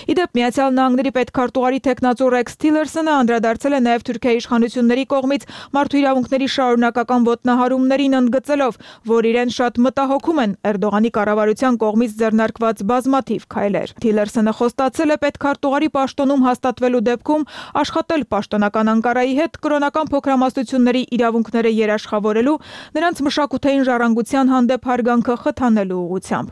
Իդեպ Միացյալ Նահանգների պետքարտուղարի թեկնածու Ռեքս Թիլերսոնը անդրադարձել է նաև Թուրքիայի իշխանությունների կողմից մարդու իրավունքների շարունակական ոտնահարումներին, ընդգծելով, որ իրեն շատ մտահոգում են Էրդողանի կառավարության կողմից ձեռնարկված բազմաթիվ քայլեր։ Թիլերսոնը խոստացել է պետքարտուղարի պաշտոնում հաստատվելու դեպքում աշխատել պաշտոնական Անկարայի հետ կրոնական փոքրամասնությունների իրավունքները երաշխավորելու, նրանց մշակութային ժառանգության հանդեպ հարգանքը խթանելու ուղղությամբ։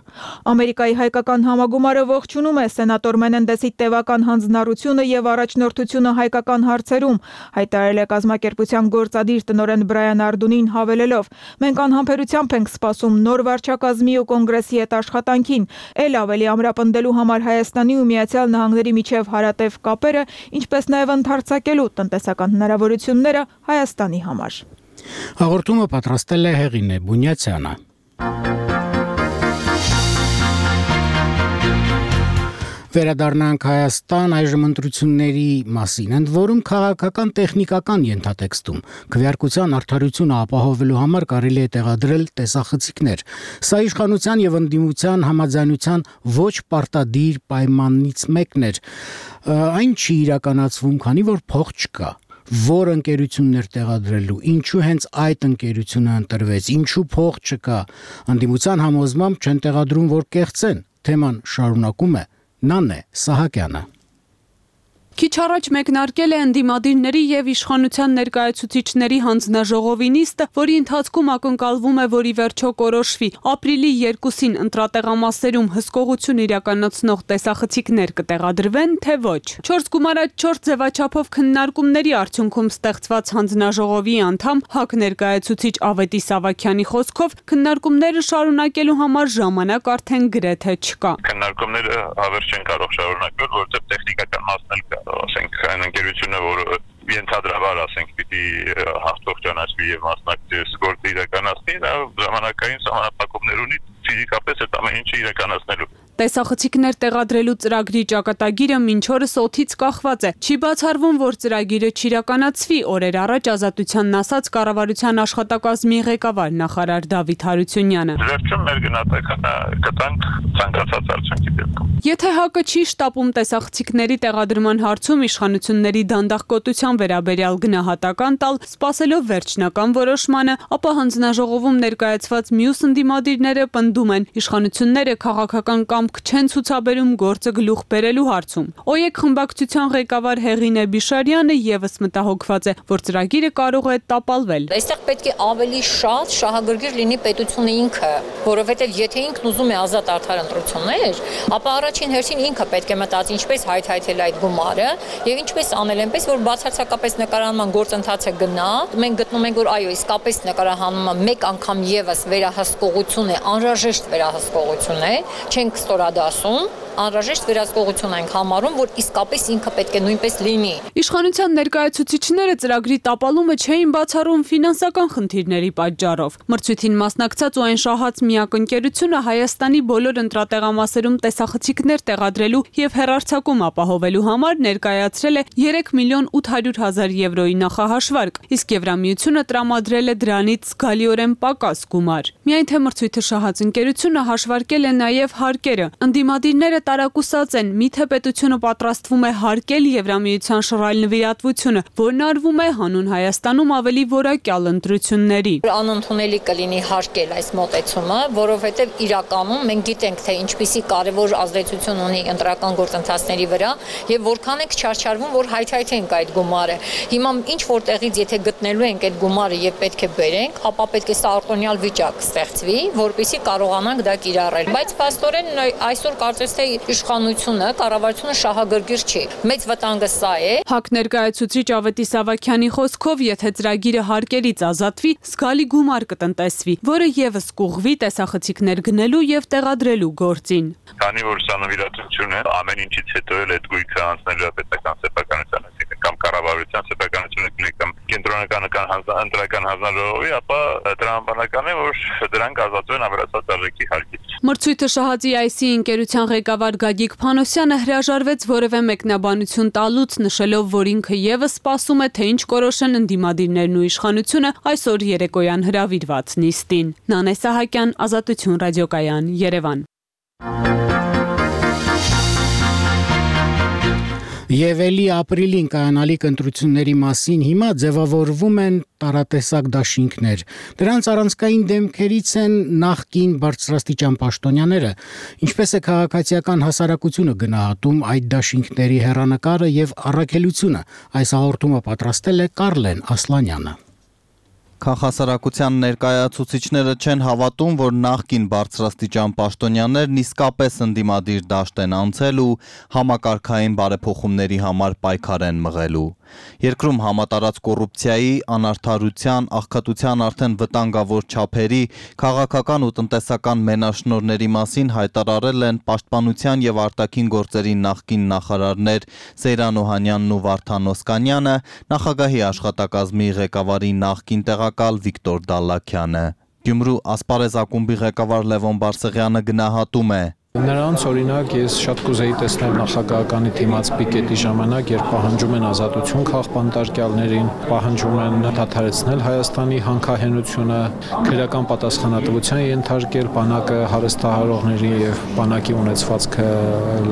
Ամերիկայի հայկական համագումարը ողջունում է սենատոր Մենենդեսի տևական հանձնառությունը եւ առաջնորդությունը հայկական հարցերում, հայտարարել է կազմակերպության գործադիր տնօրեն Բրայան Արդունին, հավելելով. մենք անհամբերությամբ ենք սպասում նոր վարչակազմի ու կոնգրեսի հետ աշխատանքին, ել ավելի ամրապնդելու համար Հայաստանի ու Միացյալ Նահանգների միջև հարատև կապերը, ինչպես նաեւ ընդարձակելու տնտեսական հնարավորությունները Հայաստանի համար։
Հաղորդումը պատրաստել է Հեղինե Բունյացյանը։ Վերադառնանք Հայաստան այժմ ընտրությունների մասին, ընդ որում քաղաքական տեխնիկական ենթատեքստում քվեարկության արդարությունը ապահովելու համար կարելի է տեղադրել տեսախցիկներ։ Սա իշխանության եւ ընդդիմության համաձայնության ոչ պարտադիր պայմանից մեկն էր։ Այն չի իրականացվում, քանի որ փող չկա։ Որ ընկերություններ տեղադրելու, ինչու հենց այդ ընկերությունը ընտրվեց, ինչու փող չկա։ Ընդդիմության համոզմամբ չեն տեղադրում, որ կեղծեն։ Թեման շարունակում է Նանե Սահակյանը։
Քիչ առաջ մեկնարկել է ընդդիմադիրների եւ իշխանության ներկայացուցիչների հանձնաժողովի նիստը, որի ընթացքում ակնկալվում է, որ ի վերջո կորոշվի ապրիլի երկուսին ընտրատեղամասերում հսկողություն իրականացնող տեսախցիկներ կտեղադրվեն, թե ոչ։ Չորս գումարած չորս ձևաչափով քննարկումների արդյունքում ստեղծված հանձնաժողովի անդամ ՀԱԿ ներկայացուցիչ Ավետիս Ավագյանի խոսքով քննարկումները շարունակելու համար ժամանակ արդեն գրեթե չկա։
Քննարկումները հավերժ չեն կարող շարունակվել, որովհետեւ տեխնիկական մասն էլ կա, ասենք այն ընկերությունը, որը ենթադրաբար ասենք պիտի հաղթող ճանաչվի եւ մասնակցի գործը իրականացնի, դա ժամանակային սահմանափակումներ ունի ֆիզիկապես այդ ամեն ինչը իրականացնելու։
Տեսախցիկներ տեղադրելու ծրագրի ճակատագիրը մինչ օրս օդից կախված է։ Չի բացառվում, որ ծրագիրը չիրականացվի, օրեր առաջ Ազատությանն ասաց կառավարության աշխատակազմի ղեկավար նախարար Դավիթ Հարությունյանը։
Վերջում մեր գնահատականը կտանք ցանկացած արդյունքի դեպքում։
Եթե ՀԱԿ-ը չի շտապում տեսախցիկների տեղադրման հարցում իշխանությունների դանդաղկոտության վերաբերյալ գնահատական տալ, սպասելով վերջնական որոշմանը, ապա հանձնաժողովում ներկայացված մյուս ընդդիմադիրները պնդում են իշխանությունները քաղաքական կամք չեն ցուցաբերում գործը գլուխ բերելու հարցում։ ՕԵԿ խմբակցության ղեկավար Հեղինե Բիշարյանը եւս մտահոգված է, որ ծրագիրը կարող է տապալվել։
Այստեղ պետք է ավելի շատ շահագրգիռ լինի պետությունը ինքը, որովհետեւ եթե ինքն ուզում է ազատ արդար ընտրություններ, ապա առաջին հերթին ինքը պետք է մտածի ինչպես հայթայթել այդ գումարը եւ ինչպես անել այնպես, որ բացարձակապես նկարանման գործընթացը գնա։ Մենք գտնում ենք, որ այո, իսկապես նկարահանումը մեկ անգամ եւս վերահսկողություն է, անհրաժեշտ վերահսկողություն է, չենք ստորադասում, անհրաժեշտ վերահսկողություն ենք համարում, որ իսկապես ինքը պետք է նույնպես լինի։
Իշխանության ներկայացուցիչները ծրագրի տապալումը չէին բացառում ֆինանսական խնդիրների պատճառով։ Մրցույթին մասնակցած ու այն շահած միակ ընկերությունը Հայաստանի բոլոր ընտրատեղամասերում տեսախցիկներ տեղադրելու եւ հեռարձակում ապահովելու համար ներկայացրել է երեք միլիոն ութ հարյուր հազար եվրոյի նախահաշվարկ, իսկ Եվրամիությունը տրամադրել է դրանից զգալիորեն պակաս գումար։ Միայն թե մրցույթը շահած ընկերությունը հաշվարկել է նաեւ հարկերը։ Ընդդիմադիրները տարակուսած են, միթե պետությունը պատրաստվում է հարկել Եվրամիության շռայլ նվիրատվությունը, որն արվում է հանուն Հայաստանում ավելի որակյալ ընտրությունների։
Անընդունելի կլինի հարկել այս մոտեցումը, որովհետև իրականում մենք գիտենք, թե ինչպիսի կարևոր ազդեցություն ունի ընտրական գործընթացների վրա եւ որքան ենք չարչարվում, որ հայթայթենք այդ գումարը։ Հիմա ինչ որտեղից եթե գտնելու ենք այդ գումարը եւ պետք է բերենք, ապա պետք է սա արտոնյալ վիճակ ստեղծվի, որպեսզի կարողանանք դա կիրառել։ Բայց փաստորեն այսօր կարծես թե իշխանությունը, կառավարությունը շահագրգիռ չի։ Մեծ վտանգը սա է։
ՀԱԿ ներկայացուցիչ Ավետիս Ավագյանի խոսքով, եթե ծրագիրը հարկերից ազատվի, զգալի գումար կտնտեսվի, որը եւս կուղղվի տեսախցիկներ գնելու եւ տեղադրելու գործին։
Քանի որ սա նվիրատվություն է, ամեն ինչից հետո էլ այդ գույքը անցնելու է պետական սեփականության, կամ կառավարության սեփականությունը կամ կենտրոնական ընտրական հանձնաժողովի, ապա տրամաբանական է, որ դրանք ազատվեն ավելացած արժեքի հարկից։
Մրցույթը շահածի այսի ընկերության ղեկավար Գագիկ Փանոսյանը հրաժարվեց որևէ մեկնաբանություն տալուց, նշելով, որ ինքը եւս սպասում է, թե ինչ կորոշեն ընդդիմադիրներն ու իշխանությունը այսօր երեկոյան հրավիրված նիստին։ Նանե Սահակյան, Ազատություն ռադիոկայան, Երևան։
Եվ էլի ապրիլին կայանալիք ընտրությունների մասին հիմա ձևավորվում են տարատեսակ դաշինքներ։ Դրանց առանցքային դեմքերից են նախկին բարձրաստիճան պաշտոնյաները, ինչպես է քաղաքացիական հասարակությունը գնահատում այդ դաշինքների հեռանկարը եւ առաքելությունը։ Այս հաղորդումը պատրաստել է Կարլեն Ասլանյանը։
Քաղաքասարակության ներկայացուցիչները չեն հավատում, որ նախկին բարձրաստիճան պաշտոնյաներն իսկապես ընդդիմադիր դաշտ են անցել ու համակարգային բարեփոխումների համար պայքար են մղելու։ Երկրում համատարած կոռուպցիայի, անարդարության, աղքատության արդեն վտանգավոր չափերի, քաղաքական ու տնտեսական մենաշնորհների մասին հայտարարել են Պաշտպանության եւ արտաքին գործերի նախկին նախարարներ Սեյրան Օհանյանն ու Վարդան Օսկանյանը, նախագահի աշխատակազմի ղեկավարի նախկին տեղակալ Վիկտոր Դալլաքյանը։ Գյումրու Ասպարեզ ակումբի ղեկավար Լևոն Բարսեղյանը գնահատում է.
Նրանց օրինակ ես շատ կուզեի տեսնել նախագահականի թիմած պիկետի ժամանակ, երբ պահանջում են ազատություն քաղբանտարկյալներին, պահանջում են դադարեցնել Հայաստանի հանքահենությունը, քրեական պատասխանատվության ենթարկել բանակը հարստահարողներին եւ բանակի ունեցվածքը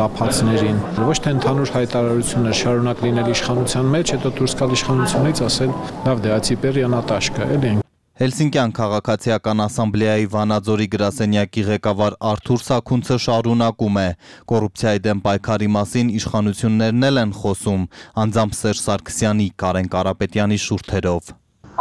լափածներին։ Ոչ թե ընդհանուր հայտարարություններ շարունակ լինել իշխանության մեջ, հետո դուրս գալ իշխանությունից ասել՝ լավ դե ացիպեր յանատաշկա, էլի։
Հելսինկյան քաղաքացիական ասամբլեայի Վանաձորի գրասենյակի ղեկավար Արթուր Սաքունցը շարունակում է. կոռուպցիայի դեմ պայքարի մասին իշխանություններն էլ են խոսում, անձամբ Սերժ Սարգսյանի, Կարեն Կարապետյանի շուրթերով.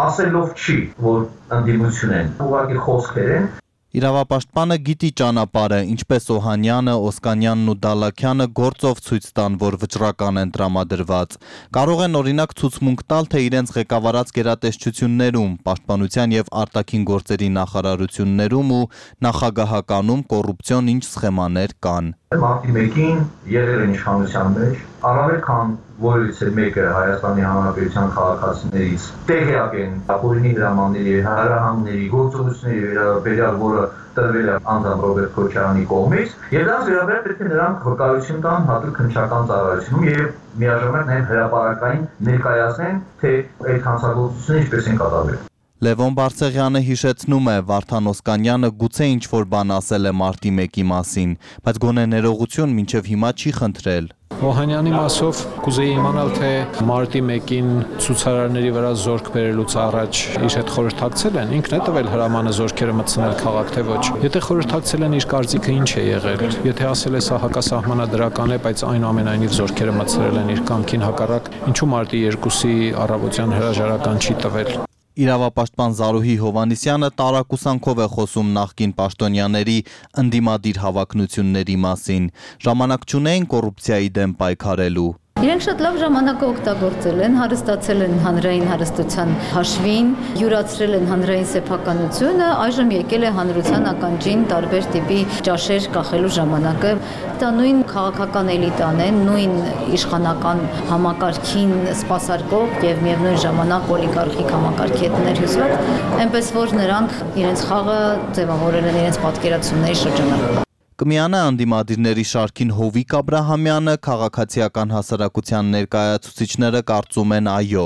Ասելով չի, որ ընդդիմություն են, ուղղակի խոսքեր են.
Իրավապաշտպանը գիտի ճանապարհը, ինչպես Օհանյանը, Օսկանյանն ու Դալաքյանը գործով ցույց տան, որ վճռական են տրամադրված։ Կարող են օրինակ ցուցմունք տալ, թե իրենց ղեկավարած գերատեսչություններում, պաշտպանության եւ արտաքին գործերի նախարարություններում ու նախագահականում կոռուպցիոն ինչ սխեմաներ կան։
Մարտի մեկին եղել են իշխանության մեջ, առավել քան որից է մեկը Հայաստանի Հանրապետության քաղաքացիներից տեղյակ են ապօրինի դրամանների, հարահանգների, գործողությունների վերաբերյալ, որը տրվել է անձամբ Ռոբերտ Քոչարյանի կողմից, եւ դրանց վերաբերյալ պետք է նրանք վկայություն տան հատուկ քննչական ծառայությունում եւ միաժամանակ նաեւ հրապարակային ներկայացնեն, թե այդ հանցագործությունը ինչպես են կատարվել։
Լևոն Բարսեղյանը հիշեցնում է, Վարդան Օսկանյանը գուցե ինչ-որ բան ասել է մարտի մեկի մասին, բայց գոնե ներողություն մինչև հիմա չի խնդրել։
Օհանյանի մասով կուզեի իմանալ, թե մարտի մեկին ցուցարարների վրա զորք բերելուց առաջ իր հետ խորհրդակցել են, ինքն է տվել հրամանը զորքերը մտցնել քաղաք, թե ոչ։ Եթե խորհրդակցել են, իր կարծիքը ինչ է եղել։ Եթե ասել է սա հակասահմանադրական է, բայց այնուամենայնիվ զորքերը մտցրել են իր կամքին հակառակ, ինչու մարտի երկուսի առավոտյան հրաժարական չի տվել։
Իրավապաշտպան Զարուհի Հովհաննիսյանը տարակուսանքով է խոսում նախկին պաշտոնյաների ընդդիմադիր հավակնությունների մասին։ Ժամանակ չունեին կոռուպցիայի դեմ պայքարելու։
Իրենք շատ լավ ժամանակը օգտագործել են, հարստացել են հանրային հարստության հաշվին, յուրացրել են հանրային սեփականությունը, այժմ եկել է հանրության ականջին տարբեր տիպի ճաշեր կախելու ժամանակը։ Դա նույն քաղաքական էլիտան է, նույն իշխանական համակարգին սպասարկող եւ միևնույն ժամանակ օլիգարխիկ համակարգի հետ ներհյուսված, այնպես որ նրանք իրենց խաղը ձևավորել են իրենց պատկերացումների շրջանակում։
Կմիանա անդիմադիրների շարքին Հովիկ Աբրահամյանը, քաղաքացիական հասարակության ներկայացուցիչները կարծում են այո։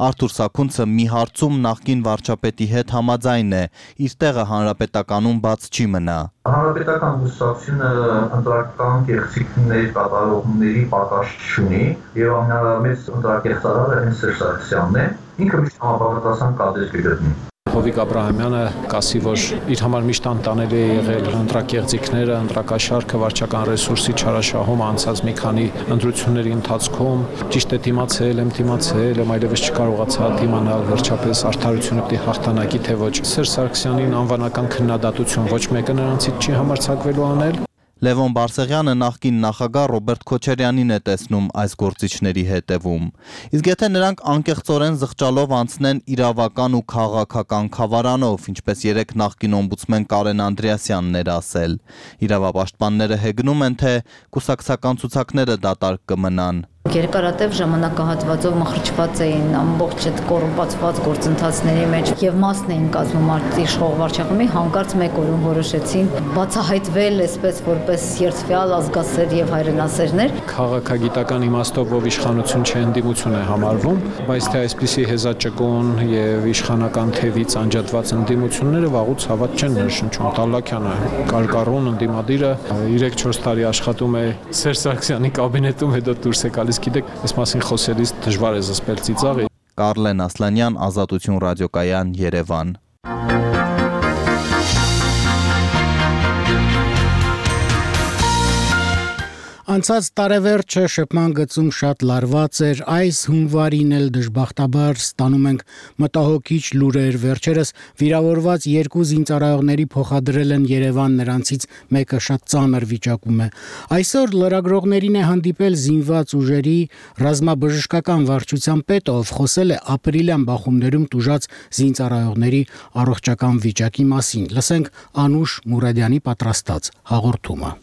Արթուր Սաքունցը մի հարցում նախկին վարչապետի հետ համաձայն է, իր տեղը հանրապետականում բաց չի մնա։
Հանրապետական կուսակցությունը ընտրական կեղծիքներ կատարողների պակաս չունի եւ ամենամեծ ընտրակեղծարարը հենց Սերժ Սարգսյանն է, ինքը միշտ համապատասխան կադրեր կգտնի։
Հովիկ Աբրահամյանը կասի, որ իր համար միշտ անտանելի է եղել ընտրակեղծիքները, ընտրակաշարքը, վարչական ռեսուրսի չարաշահումը անցած մի քանի ընտրությունների ընթացքում, ճիշտ է դիմացել, եմ դիմացել, եմ այլևս չկարողացա դիմանալ, վերջապես արդարությունը պիտի հաղթանակի, թե ոչ։ Սերժ Սարգսյանին անվանական քննադատություն ոչ մեկը նրանցից չի համարձակվելու անել։
Լևոն Բարսեղյանը նախկին նախագահ Ռոբերտ Քոչարյանին է տեսնում այս գործիչների հետևում։ Իսկ եթե նրանք անկեղծորեն զղջալով անցնեն իրավական ու քաղաքական խավարանով, ինչպես երեք նախկին օմբուդսմեն Կարեն Անդրեասյանն էր ասել, իրավապաշտպանները հեգնում են, թե կուսակցական ցուցակները դատարկ կմնան։
Երկարատև ժամանակահատվածով մխրճված էին ամբողջ այդ կոռուպացված գործընթացների մեջ եւ մասն էին կազմում իշխող վարչախմբի, հանկարծ մեկ օրում որոշեցին բացահայտվել այսպես որպես երթվյալ ազգասեր եւ հայրենասերներ։
Քաղաքագիտական իմաստով ով իշխանություն չէ, ընդդիմություն է համարվում, բայց թե այսպիսի հեզաճկուն եւ իշխանական թևից անջատված ընդդիմությունները վաղուց հավատ չեն ներշնչում։ Դալաքյանը կարկառուն ընդդիմադիրը երեք-չորս տարի աշխատում է Սերժ Սարգսյանի կաբինետում, հետո դուրս է գալիս։ Գիտեք, այս մասին խոսելիս դժվար է զսպել ծիծաղը։
Կարլեն Ասլանյան, Ազատություն ռադիոկայան, Երևան։
Անցած տարեվերջը շփման գծում շատ լարված էր, այս հունվարին էլ դժբախտաբար ստանում ենք մտահոգիչ լուրեր, վերջերս վիրավորված երկու զինծառայողների փոխադրել են Երևան, նրանցից մեկը շատ ծանր վիճակում է։ Այսօր լրագրողներին է հանդիպել զինված ուժերի ռազմաբժշկական վարչության պետը, ով խոսել է ապրիլյան բախումներում տուժած զինծառայողների առողջական վիճակի մասին։ Լսենք Անուշ Մուրադյանի պատրաստած հաղորդումը։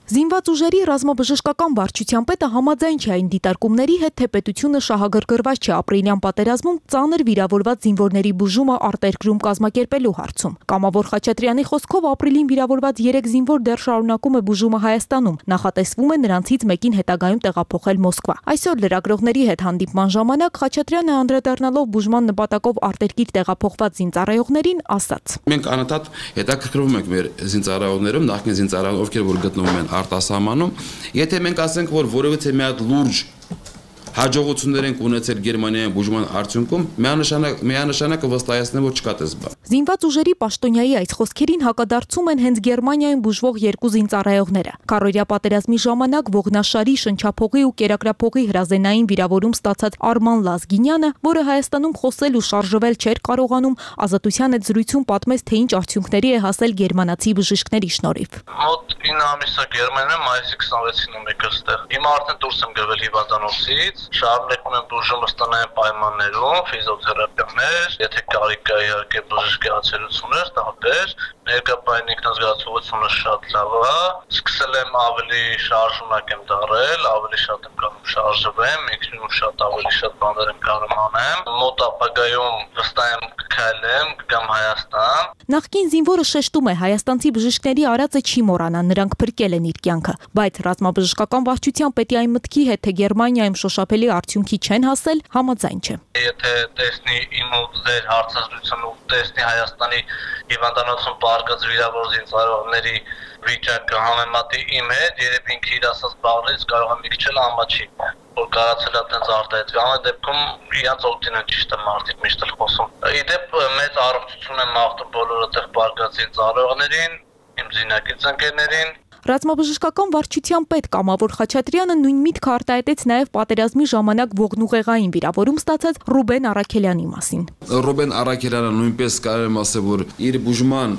Զինված ուժերի ռազմաբժշկական վարչության պետը համաձայն չէ այն դիտարկումների հետ, թե պետությունը շահագրգռված չէ ապրիլյան պատերազմում ծանր վիրավորված զինվորների բուժումը արտերկրում կազմակերպելու հարցում։ Կամավոր Խաչատրյանի խոսքով ապրիլին վիրավորված երեք զինվոր դեռ շարունակում է բուժումը Հայաստանում, նախատեսվում է նրանցից մեկին հետագայում տեղափոխել Մոսկվա։ Այսօր լրագրողների հետ հանդիպման ժամանակ Խաչատրյանը անդրադառնալով բուժման նպատակով արտերկիր տեղափոխված զինծառայողներին ասաց.
Մենք անընդհատ հետաքրքրվում ենք մեր զինծառայողներում, նախկին զինծառայողներ, ովքեր որ գտնվում են արտասահմանում, եթե մենք ասենք, որ որևէ մի հատ լուրջ հաջողություններ են ունեցել Գերմանիայում բուժման արդյունքում, միանշանակ միանշանակ վստահեցնեմ, որ չկա տես բան։
Զինված ուժերի պաշտոնյայի այս խոսքերին հակադարձում են հենց Գերմանիայում բուժվող երկու զինծառայողները։ Քարորիա պատերազմի ժամանակ ողնաշարի, շնչափողի ու կերակրափողի հրազենային վիրավորում ստացած Արման Լազգինյանը, որը Հայաստանում խոսել ու շարժվել չէր կարողանում, Ազատության հետ զրույցում պատմեց, թե ինչ արդյունքների է հասել գերմանացի բժիշկների շնորհիվ։
Մոտ ինը ամիսա Գերմանիայում մայիսի քսանվեցին եմ եկել ստեղ։ Հիմա արդեն դուրս եմ գվել հիվանդանոցից, շարունակում եմ բուժումը ստանալ պայմաններում, ֆիզիոթերապիաներ, եթե կարիք կա իհարկե բժշկի ացերություններ, տարբեր, ներկայապային ինքնազգացողությունը շատ լավ է, սկսել եմ ավելի շարժունակ եմ դարել, ավելի շատ եմ կարող շարժվեմ, ինքնին շատ ավելի շատ բաներ եմ կարող անեմ, մոտ ապագայում վստահ եմ կքայլեմ, կգամ Հայաստան։
Նախկին զինվորը շեշտում է, հայաստանցի բժիշկների արածը չի մոռանա, նրանք փրկել են իր կյանքը, բայց ռազմաբժշկական վարչության պետի այն մտքի հետ, թե Գերմանիայում շոշափելի արդյունքի չեն հասել, համաձայն չէ։
Եթե տեսնի իմ ու ձեր հարցազրույցը ու տեսնի Հայաստանի հիվանդանոցում պարկած վիրավոր զինծառայողների վիճակը համեմատի իմ հետ, երբ ինքը իր ասած բառերից կարող է մի քիչ էլ ամաչի, որ կարացել է այդպես արտահայտվի։ Ամեն դեպքում իրանց օգտին են ճիշտ է մարդիկ միշտ էլ խոսում։ Իդեպ մեծ առողջություն եմ մաղթում բոլոր այդտեղ պարկած զինծառայողներին, իմ զինակից ընկերներին։
Ռազմաբժշկական վարչության պետ Կամավոր Խաչատրյանը նույն միտքը արտահայտեց նաև պատերազմի ժամանակ ողնուղեղային վիրավորում ստացած Ռուբեն Արաքելյանի մասին։
Ռուբեն Արաքելյանը նույնպես կարող եմ ասել, որ իր բուժման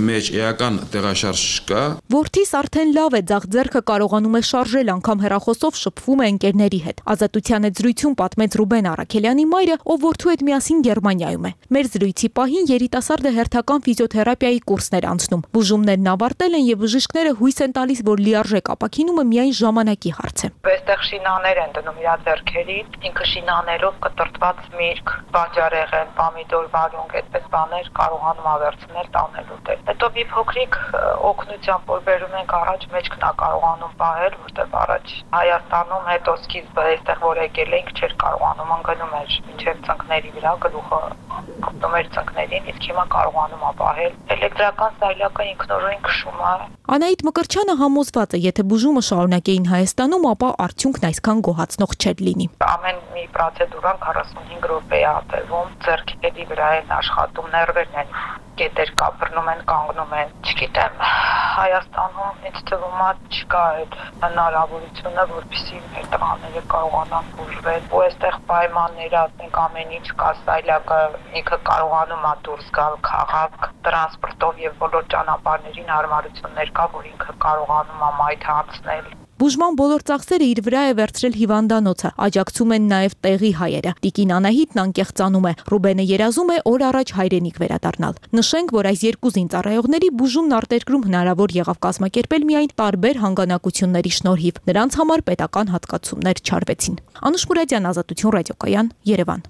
մեջ էական տեղաշարժ չկա։
Որդիս արդեն լավ է, ձախ ձեռքը կարողանում է շարժել, անգամ հեռախոսով շփվում է ընկերների հետ։ Ազատության հետ զրույցում պատմեց Ռուբեն Արաքելյանի մայրը, ով որդու հետ միասին Գերմանիայում է։ Մեր զրույցի պահին երիտասարդը հերթական ֆիզիոթերապիայի կուրսներ անցնում։ Բուժումներն ավարտել են եւ բժիշկները հույս են տալիս, որ լիարժեք ապաքինումը միայն ժամանակի հարց է։
Այստեղ շինաներ են դնում իր ձեռքերին, ինքը շինաներով կտրտված միրգ, բանջարեղեն, պոմիդոր, վարունգ, այդպես բաներ կարողանում ավերցնել տանելու դեր։ Հետո մի փոքրիկ օգնությամբ որ բերում ենք առաջ մեջքն է կարողանում պահել, որտեղ առաջ Հայաստանում հետո սկիզբը այստեղ որ եկել ենք չէր կարողանում ընկնում էր մինչև ծնկների վրա գլուխը կպտում էր ծնկներին, իսկ հիմա կարողանում է պահել։ Էլեկտրական սայլակը ինքնորոն քշում է։
Անահիտ Մկրտչյանը համոզված է, եթե բուժումը շարունակեին Հայաստանում, ապա արդյունքն այսքան գոհացնող չէր լինի։
Ամեն մի պրոցեդուրան քառասունհինգ րոպե է ատելվում, ձեռքերի վրա են աշխատում, ներվերն են կետեր կապրնում են, կանգնում են։ Չգիտեմ, Հայաստանում ինձ թվում է չկա այդ հնարավորությունը, որպեսզի մեր տղաները կարողանան բուժվել։ Ու այստեղ պայմանները, ասենք ամեն ինչ կա, սայլակը ինքը կարողանում է դուրս գալ քաղաք, տրանսպորտով եւ բոլոր ճանապարհներին հարմարություններ կա, որ ինքը կարողանում է մայթ անցնել։
Բուժման բոլոր ծախսերը իր վրա է վերցրել հիվանդանոցը, աջակցում են նաև տեղի հայերը։ Տիկին Անահիտն անկեղծանում է, Ռուբենը երազում է օր առաջ հայրենիք վերադառնալ։ Նշենք, որ այս երկու զինծառայողների բուժումն արտերկրում հնարավոր եղավ կազմակերպել միայն տարբեր հանգանակությունների շնորհիվ։ Նրանց համար պետական հատկացումներ չարվեցին։ Անուշ Մուրադյան, Ազատություն ռադիոկայան, Երևան։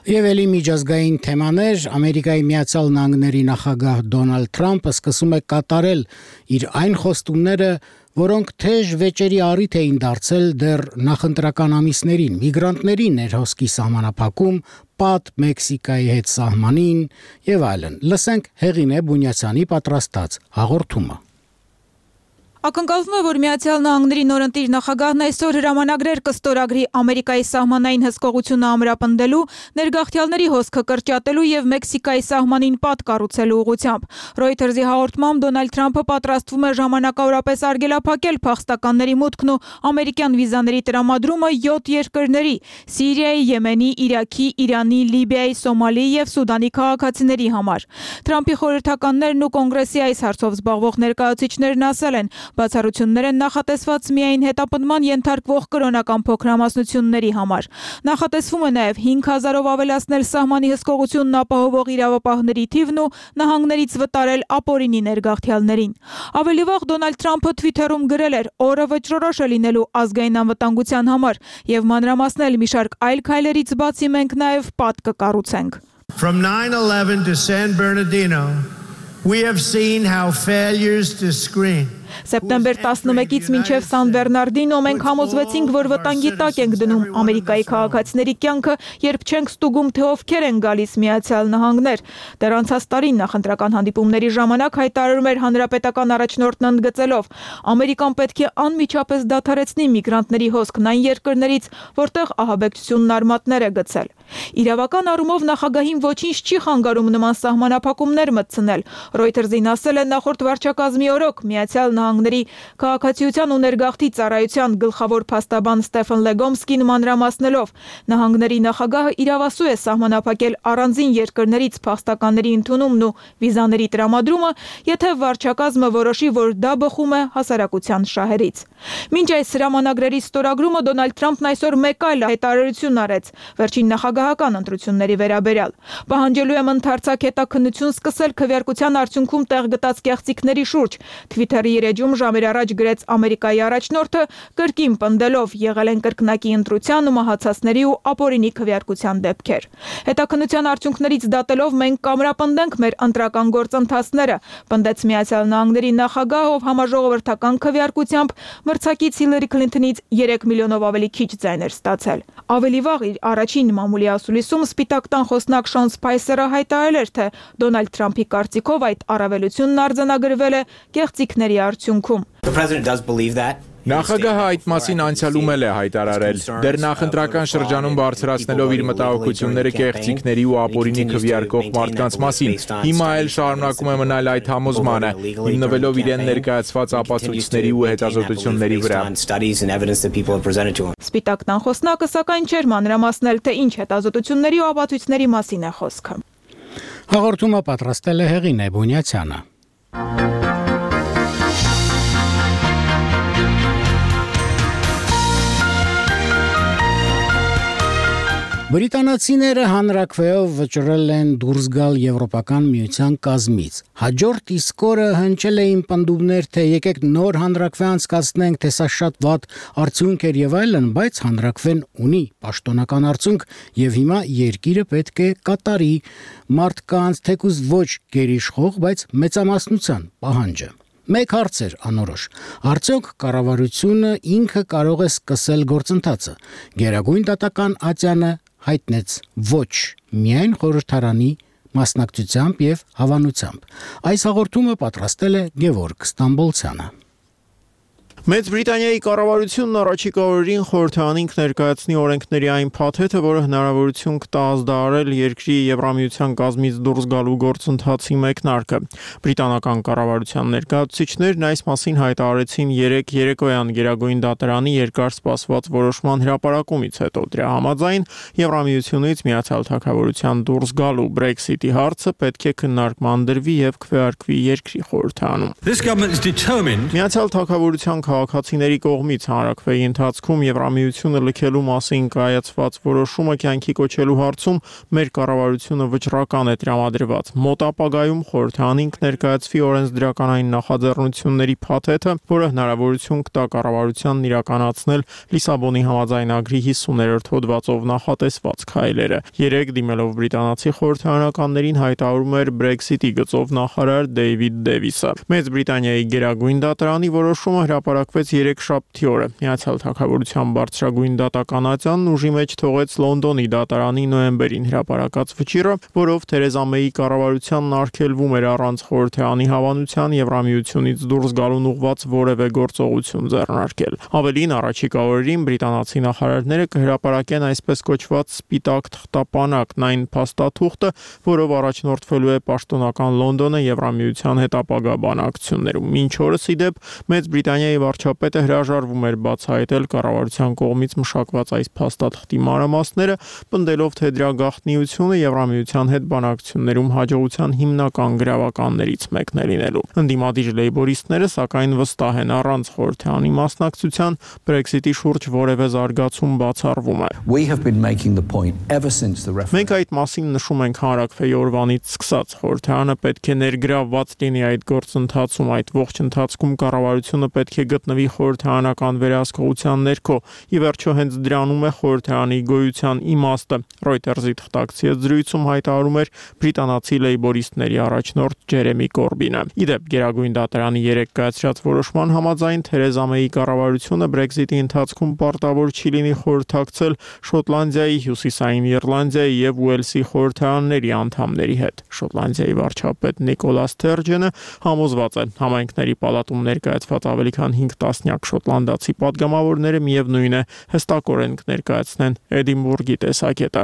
Եվ ելի միջազգային թեմաներ, Ամերիկայի Միացյալ Նահանգների նախագահ Դոնալդ Թրամփը սկսում է կատարել իր այն խոստումները, որոնք թեժ վեճերի առիթ էին դարձել դեռ նախընտրական ամիսներին, միգրանտների ներհոսքի սահմանափակում, պատ Մեքսիկայի հետ սահմանին եւ այլն։ Լսենք Հեղինե Բունյացյանի պատրաստած հաղորդումը։
Ակնկալվում է, որ Միացյալ Նահանգների նորընտիր նախագահն այսօր հրամանագրեր կստորագրի Ամերիկայի սահմանային հսկողությունը ամրապնդելու, ներգաղթյալների հոսքը կրճատելու եւ Մեքսիկայի սահմանին պատ կառուցելու ուղղությամբ։ Reuters-ի հաղորդմամբ Դոնալդ Թրամփը պատրաստվում է ժամանակավորապես արգելափակել փախստականների մուտքն ու ամերիկյան վիզաների տրամադրումը յոթ երկրների՝ Սիրիայի, Եմենի, Իրաքի, Իրանի, Լիբիայի, Սոմալիի եւ Սուդանի քաղաքացիների համար։ Թրամփի խորհրդականներն ու կոնգրեսի այս հարցով զբաղվող ներկայացուցիչներն ասել են, բացառություններ են նախատեսված միայն հետապնդման ենթարկվող կրոնական փոքրամասնությունների համար։ Նախատեսվում է նաև հինգ հազարով ավելացնել սահմանի հսկողությունն ապահովող իրավապահների թիվն ու նահանգներից վտարել ապօրինի ներգաղթյալներին։ Ավելի վաղ Դոնալդ Թրամփը Twitter-ում գրել էր. «Օրը վճռորոշ է լինելու ազգային անվտանգության համար եւ մանրամասնել մի շարք այլ քայլերից բացի մենք նաև պատ կկառուցենք»։
From nine eleven to San Bernardino, we have seen how failures to screen
Սեպտեմբեր տասնմեկից մինչև Սան Բեռնարդինո մենք համոզվեցինք, որ վտանգի տակ ենք դնում Ամերիկայի քաղաքացիների կյանքը, երբ չենք ստուգում, թե ովքեր են գալիս Միացյալ Նահանգներ։ Դեռ անցած տարի նախընտրական հանդիպումների ժամանակ հայտարարում էր հանրապետական առաջնորդն ընդգծելով. Ամերիկան պետք է անմիջապես դադարեցնի միգրանտների հոսքն այն երկրներից, որտեղ ահաբեկչությունն արմատներ է գցել։ Իրավական առումով նախագահին ոչինչ չի խանգարում նման սահմանափակումներ մտցնել։ Reuters-ին ասել է նախորդ վարչակազմի օրոք Միացյալ Նահանգների քաղաքացիության ու ներգաղթի ծառայության գլխավոր փաստաբան Ստեֆեն Լեգոմսկին մանրամասնելով. նահանգների նախագահը իրավասու է սահմանափակել առանձին երկրներից փախստականների ընդունումն ու վիզաների տրամադրումը, եթե վարչակազմը որոշի, որ դա բխում է հասարակության շահերից։ Մինչ այս հրամանագրերի ստորագրումը Դոնալդ Թրամփն այսօր մեկ այլ հայտարարություն արեց վերջին նախագահական ընտրությունների վերաբերյալ։ Պահանջելու եմ ընդարձակ հետաքննություն սկսել քվեարկության արդյունքում տեղ գտած կեղծիքների շուրջ։ Twitter-ի իր էջում ժամեր առաջ գրեց Ամերիկայի առաջնորդը, կրկին պնդելով եղել են կրկնակի ընտրության ու մահացածների ու ապօրինի քվեարկության դեպքեր։ Հետաքննության արդյունքներից դատելով մենք կամրապնդենք մեր ընտրական գործընթացները, պնդեց Միացյալ Նահանգների նախագահ, ով համաժողովրդական քվեարկությամբ մրցակից Հիլարի Քլինթոնից երեք միլիոնով ավելի քիչ ձայներ ստացել։ Ավելի վաղ իր առաջին մամուլի ասուլիսում Սպիտակ տան խոսնակ Շոն Սփայսերը հայտարարել էր, թե Դոնալդ Թրամփի կարծիքով այդ առավելությունն արձանագրվել է կեղծիքների արդյունքում։
Նախագահը այդ մասին անցյալում էլ է հայտարարել։ Դեռ նախընտրական շրջանում բարձրացնելով իր մտահոգությունները կեղծիքների ու ապօրինի քվեարկող մարդկանց մասին, հիմա էլ շարունակում է մնալ այդ համոզմանը, հիմնվելով իրեն ներկայացված ապացույցների ու հետազոտությունների վրա։
Սպիտակ տան խոսնակը սակայն չէր մանրամասնել, թե ինչ հետազոտությունների ու ապացույցների մասին է խոսքը։
Հաղորդումը պատրաստել է Հեղինե Բունյացյանը։ Բրիտանացիները հանրաքվեով վճռել են դուրս գալ Եվրոպական միության կազմից։ Հաջորդ իսկ օրը հնչել էին պնդումներ, թե եկեք նոր հանրաքվե անցկացնենք, թե սա շատ վատ արդյունք էր եւ այլն, բայց հանրաքվեն ունի պաշտոնական արդյունք եւ հիմա երկիրը պետք է կատարի մարդկանց թեկուզ ոչ գերիշխող, բայց մեծամասնության պահանջը։ Մեկ հարց էր անորոշ. արդյոք կառավարությունը ինքը կարող է սկսել գործընթացը։ Գերագույն դատական ատյանը հայտնեց ոչ միայն խորհրդարանի մասնակցությամբ եւ հավանությամբ։ Այս հաղորդումը պատրաստել է Գևորգ Ստամբոլցյանը։
Մեծ Բրիտանիայի կառավարությունն առաջիկա օրերին խորհրդարանին կներկայացնի օրենքների այն փաթեթը, որը հնարավորություն կտա ազդարարել երկրի Եվրամիության կազմից դուրս գալու գործընթացի մեկնարկը։ Բրիտանական կառավարության ներկայացուցիչներն այս մասին հայտարարեցին երեկ երեկոյան Գերագույն դատարանի երկար սպասված որոշման հրապարակումից հետո։ Դրա համաձայն Եվրամիությունից Միացյալ Թագավորության դուրս գալու Brexit-ի հարցը պետք է քննարկման դրվի եւ քվեարկվի երկրի խորհրդարանում։ Միացյալ Թագավորության քաղաքացիների կողմից հանրաքվեի ընթացքում Եվրամիությունը լքելու մասին կայացված որոշումը կյանքի կոչելու հարցում մեր կառավարությունը վճռական է տրամադրված։ Մոտ ապագայում խորհրդարանին կներկայացվի օրենսդրականային նախաձեռնությունների փաթեթը, որը հնարավորություն կտա կառավարությանն իրականացնել Լիսաբոնի համաձայնագրի հիսուներորդ հոդվածով նախատեսված քայլերը։ Երեկ դիմելով բրիտանացի խորհրդարանականներին հայտարարում էր Brexit-ի գծով նախարար Դեյվիդ Դեվիսը։ Մեծ Բրիտանիայի Գերագույն դատարանի որոշումը հրապարակվեց երեքշաբթի օրը։ Միացյալ Թագավորության բարձրագույն դատական ատյանն ուժի մեջ թողեց Լոնդոնի դատարանի նոյեմբերին հրապարակած վճիռը, որով Թերեզա Մեյի կառավարությանն արգելվում էր առանց խորհրդարանի հավանության Եվրամիությունից դուրս գալուն ուղղված որևէ գործողություն ձեռնարկել։ Ավելին, առաջիկա օրերին բրիտանացի նախարարները կհրապարակեն այսպես կոչված սպիտակ թղթապանակն, այն փաստաթուղթը, որով առաջնորդվելու է պաշտոնական Լոնդոնը Եվրամիության հետ ապագա բանակցություններում։ Մինչ օրս ի դեպ Մեծ Բրիտանիայի վարչապետը հրաժարվում էր բացահայտել կառավարության կողմից մշակված այս փաստաթղթի մանրամասները, պնդելով, թե դրա գաղտնիությունը Եվրամիության հետ բանակցություններում հաջողության հիմնական գրավականներից մեկն է լինելու։ Ընդդիմադիր լեյբորիստները սակայն վստահ են առանց խորհրդարանի մասնակցության Brexit-ի շուրջ որևէ զարգացում բացառվում է։ Մենք այդ մասին նշում ենք հանրաքվեի օրվանից սկսած։ Խորհրդարանը պետք է ներգրավված լինի այդ գործընթացում, այդ ողջ ընթացքում կառավարությունը պետք է գտնվի խորհրդարանական վերահսկողության ներքո։ Ի վերջո հենց դրանում է խորհրդարանի գոյության իմաստը։ Reuters-ի թղթակցի հետ զրույցում հայտարարում էր բրիտանացի լեյբորիստների առաջնորդ Ջերեմի Կորբինը։ Իդեպ Գերագույն դատարանի երեկ կայացրած որոշման համաձայն Թերեզա Մեյի կառավարությունը Brexit-ի ընթացքում պարտավոր չի լինի խորհրդակցել Շոտլանդիայի, Հյուսիսային Իռլանդիայի եւ Ուելսի խորհրդարանների անդամների հետ։ Շոտլանդիայի վարչապետ Նիկոլա Սթերջենը համոզված է, համայնքների պալատում ներկայացված ավելի քան հինգ տասնյակ շոտլանդացի падգամավորները միևնույն է հստակորեն կներկայացնեն Էդինբուրգի տեսակետը։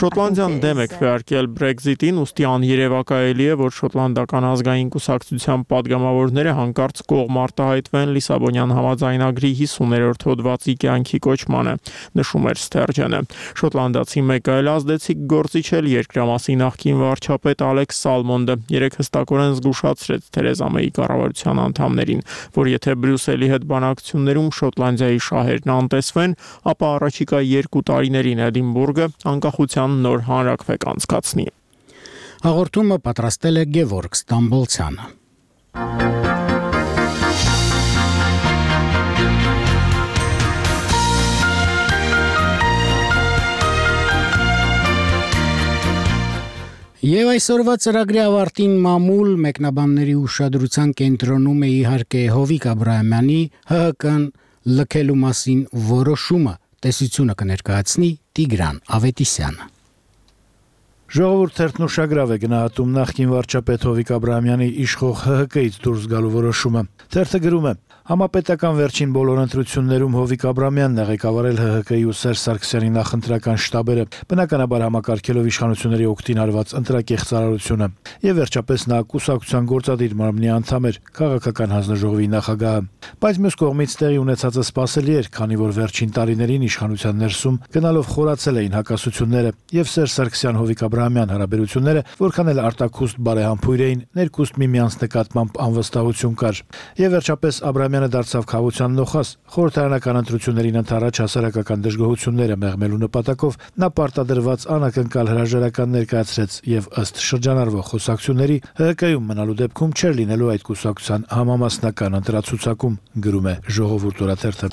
Շոտլանդիան դեմ է քվեարկել Brexit-ին, ուստի աներևակայելի է, որ շոտլանդական ազգային կուսակցության падգամավորները հանկարծ կողմ արտահայտվեն Լիսաբոնյան համաձայնագրի հիսուներորդ հոդվածի կյանքի կոչմանը, նշում էր Սթերջենը։ Շոտլանդացի մեկ այլ ազդեցիկ գործիչ էլ երկրամասի նախկին վարչապետ Ալեքս Սալմոնդը երեք հստակորեն զգուշացրեց Թերեզա Մեյի կառավարության անդամներին, որ եթե Բրյուսելի հետ բանակցություններում Շոտլանդիայի շահերն անտեսվեն, ապա առաջիկա երկու տարիներին Էդինբուրգը անկախության նոր հանրաքվե կանցկացնի։
Հաղորդումը պատրաստել է Գևորգ Ստամբոլցյանը։ Եվ այսօրվա ծրագրի ավարտին մամուլ մեկնաբանների ուշադրության կենտրոնում է իհարկե Հովիկ Աբրահամյանի ՀՀԿ-ն լքելու մասին որոշումը, տեսությունը կներկայացնի Տիգրան Ավետիսյանը։
Ժողովուրդ թերթն ուշագրավ է գնահատում նախկին վարչապետ Հովիկ Աբրահամյանի իշխող ՀՀԿ-ից դուրս գալու որոշումը։ Թերթը գրում է. Համապետական վերջին բոլոր ընտրություններում Հովիկ Աբրահամյանն է ղեկավարել ՀՀԿ-ի ու Սերժ Սարգսյանի նախընտրական շտաբերը, բնականաբար համակարգելով իշխանությունների օգտին արված ընտրակեղծ արարությունը, եւ վերջապես նա կուսակցության գործադիր մարմնի անդամ էր, քաղաքական հանձնաժողովի նախագահը։ Բայց մյուս կողմից տեղի ունեցածը սպասելի էր, քանի որ վերջին տարիներին իշխանության ներսում գնալով խորացել էին հակասությունները եւ Սերժ Սարգսյան-Հովիկ Աբրահամյան հարաբերությունները, որքան էլ արտաքուստ բարեհամբույր էին, ներքուստ միմյանց նկատմամբ անվստահություն կար։ Եվ վերջապես Աբրահամյանը դարձավ խաղության նոխազ, խորհրդարանական ընտրություններին ընդառաջ հասարակական դժգոհությունները մեղմելու նպատակով նա պարտադրված անակնկալ հրաժարական ներկայացրեց եւ ըստ շրջանառվող խոսակցությունների ՀՀԿ-ում մնալու դեպքում չէր լինելու այդ կուսակցության համամասնական ընտրացուցակում, գրում է Ժողովուրդ օրաթերթը։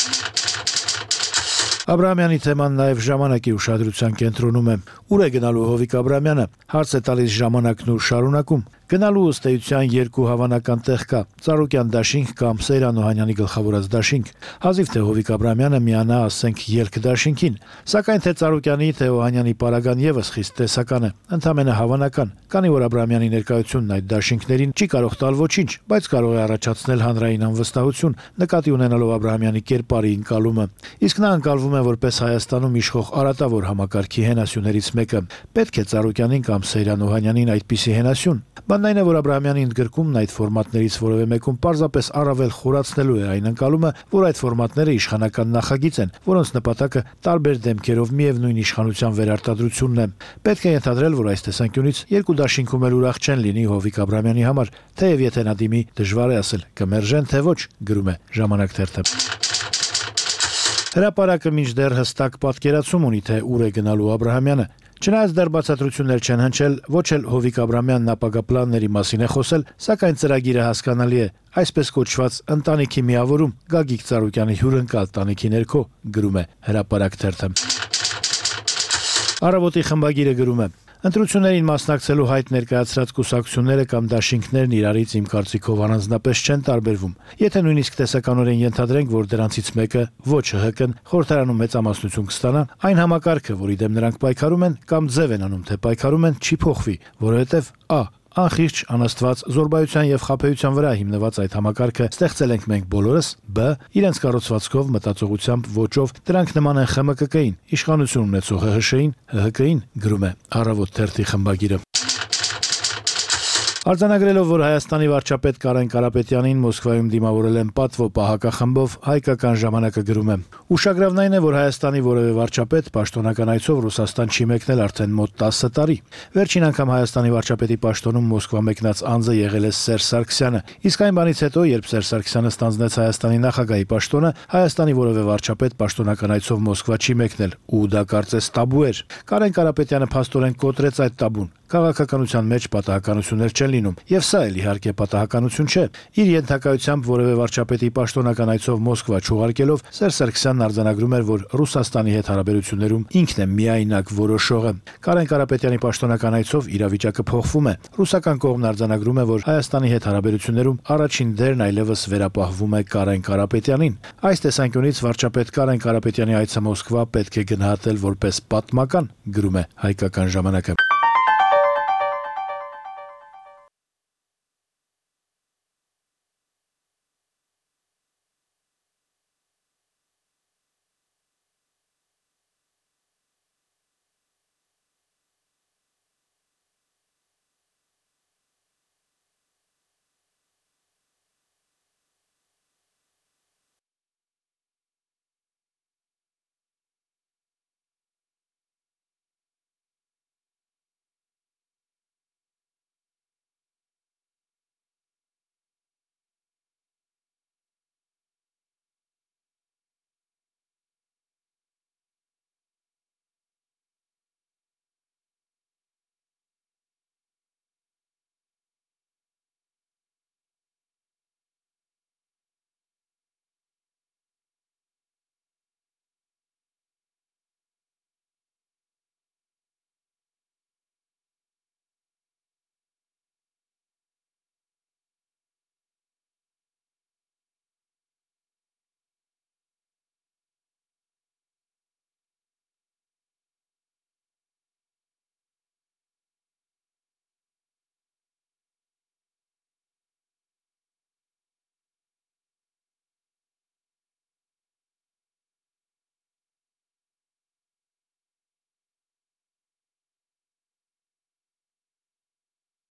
Աբրահամյանի թեման նաև ժամանակի ուշադրության կենտրոնում է։ Ուր է գնալու Հովիկ Աբրահամյանը, հարց է տալիս ժամանակն ու շարունակում։ Գնալու ըստ էության երկու հավանական տեղ կա՝ Ծառուկյան դաշինք կամ Սեյրան Օհանյանի գլխավորած դաշինք։ Հազիվ թե Հովիկ Աբրահամյանը միանա, ասենք, ելք դաշինքին, սակայն թե Ծառուկյանի, թե Օհանյանի պարագան եւս խիստ տեսական է, ընդամենը հավանական, քանի որ Աբրահամյանի ներկայությունն այդ դաշինքներին չի կարող տալ ոչինչ, բայց կարող է առաջացնել հանրային անվստահություն, նկատի ունենալով Աբրահամյանի կերպարի ընկալումը։ Իսկ նա ընկալվում է որպես Հայաստանում իշխող արատավոր համակարգի հենասյուներից մեկը։ Պետք է Ծառուկյանին կամ Սեյրան Օհանյանին այդպիսի հենասյուն։ Բանն այն է, որ Աբրահամյանի ընդգրկումն այդ ֆորմատներից որևէ մեկում պարզապես առավել խորացնելու է այն ընկալումը, որ այդ ֆորմատները իշխանական նախագիծ են, որոնց նպատակը տարբեր դեմքերով միևնույն իշխանության վերարտադրությունն է։ Պետք է ենթադրել, որ այս տեսանկյունից երկու դաշինքում էլ ուրախ չեն լինի Հովիկ Աբրահամյանի համար, թեև եթե նա դիմի, դժվար է ասել կմերժեն թե ոչ, գրում է Ժամանակ թերթը։ Հրապարակը մինչդեռ հստակ պատկերացում ունի, թե ուր է գնալու Աբրահամյանը։ Չնայած դեռ բացատրություններ չեն հնչել, ոչ էլ Հովիկ Աբրահամյանն ապագա պլանների մասին է խոսել, սակայն ծրագիրը հասկանալի է, այսպես կոչված ընտանիքի միավորում Գագիկ Ծառուկյանի հյուրընկալ տանիքի ներքո, գրում է Հրապարակ թերթը։ Առավոտի խմբագիրը գրում է. Ընտրություններին մասնակցելու հայտ ներկայացրած կուսակցությունները կամ դաշինքներն իրարից իմ կարծիքով առանձնապես չեն տարբերվում։ Եթե նույնիսկ տեսականորեն ենթադրենք, որ դրանցից մեկը ոչ ՀՀԿ-ն խորհրդարանում մեծամասնություն կստանա, այն համակարգը, որի դեմ նրանք պայքարում են կամ ձև են անում, թե պայքարում են, չի փոխվի, որովհետև ա. Անխիղճ, անաստված, զորբայության եւ խաբեության վրա հիմնված այդ համակարգը ստեղծել ենք մենք բոլորս, բ. Իրենց կառուցվածքով, մտածողությամբ, ոճով դրանք նման են ԽՄԿԿ-ին, իշխանություն ունեցող ՀՀՇ-ին, ՀՀԿ-ին, գրում է Առավոտ թերթի խմբագիրը։ Արձանագրելով, որ Հայաստանի վարչապետ Կարեն Կարապետյանին Մոսկվայում դիմավորել են պատվո պահակախմբով, Հայկական ժամանակը գրում է. Ուշագրավն այն է, որ Հայաստանի որևէ վարչապետ պաշտոնական այցով Ռուսաստան չի մեկնել արդեն մոտ տասը տարի։ Վերջին անգամ Հայաստանի վարչապետի պաշտոնում Մոսկվա մեկնած անձը եղել է Սերժ Սարգսյանը։ Իսկ այն բանից հետո, երբ Սերժ Սարգսյանը ստանձնեց Հայաստանի նախագահի պաշտոնը, Հայաստանի որևէ վարչապետ պաշտոնական այցով Մոսկվա չի մեկնել, ու դա կարծես տաբու էր։ Կարեն Կարապետյանը փաստորեն կոտրեց այդ տաբուն։ Քաղաքականության մեջ պատահականություններ չեն են լինում, եւ սա էլ իհարկե պատահականություն չէ։ Իր ենթակայությամբ որևէ վարչապետի պաշտոնական այցով Մոսկվա չուղարկելով Սերժ Սարգսյանն արձանագրում էր, որ Ռուսաստանի հետ հարաբերություններում ինքն է միայնակ որոշողը։ Կարեն Կարապետյանի պաշտոնական այցով իրավիճակը փոխվում է։ Ռուսական կողմն արձանագրում է, որ Հայաստանի հետ հարաբերություններում առաջին դերն այլևս վերապահվում է Կարեն Կարապետյանին։ Այս տեսանկյունից վարչապետ Կարեն Կարապետյանի այցը Մոսկվա պետք է գնահատել որպես պատմական, գրում է Հայկական ժամանակը։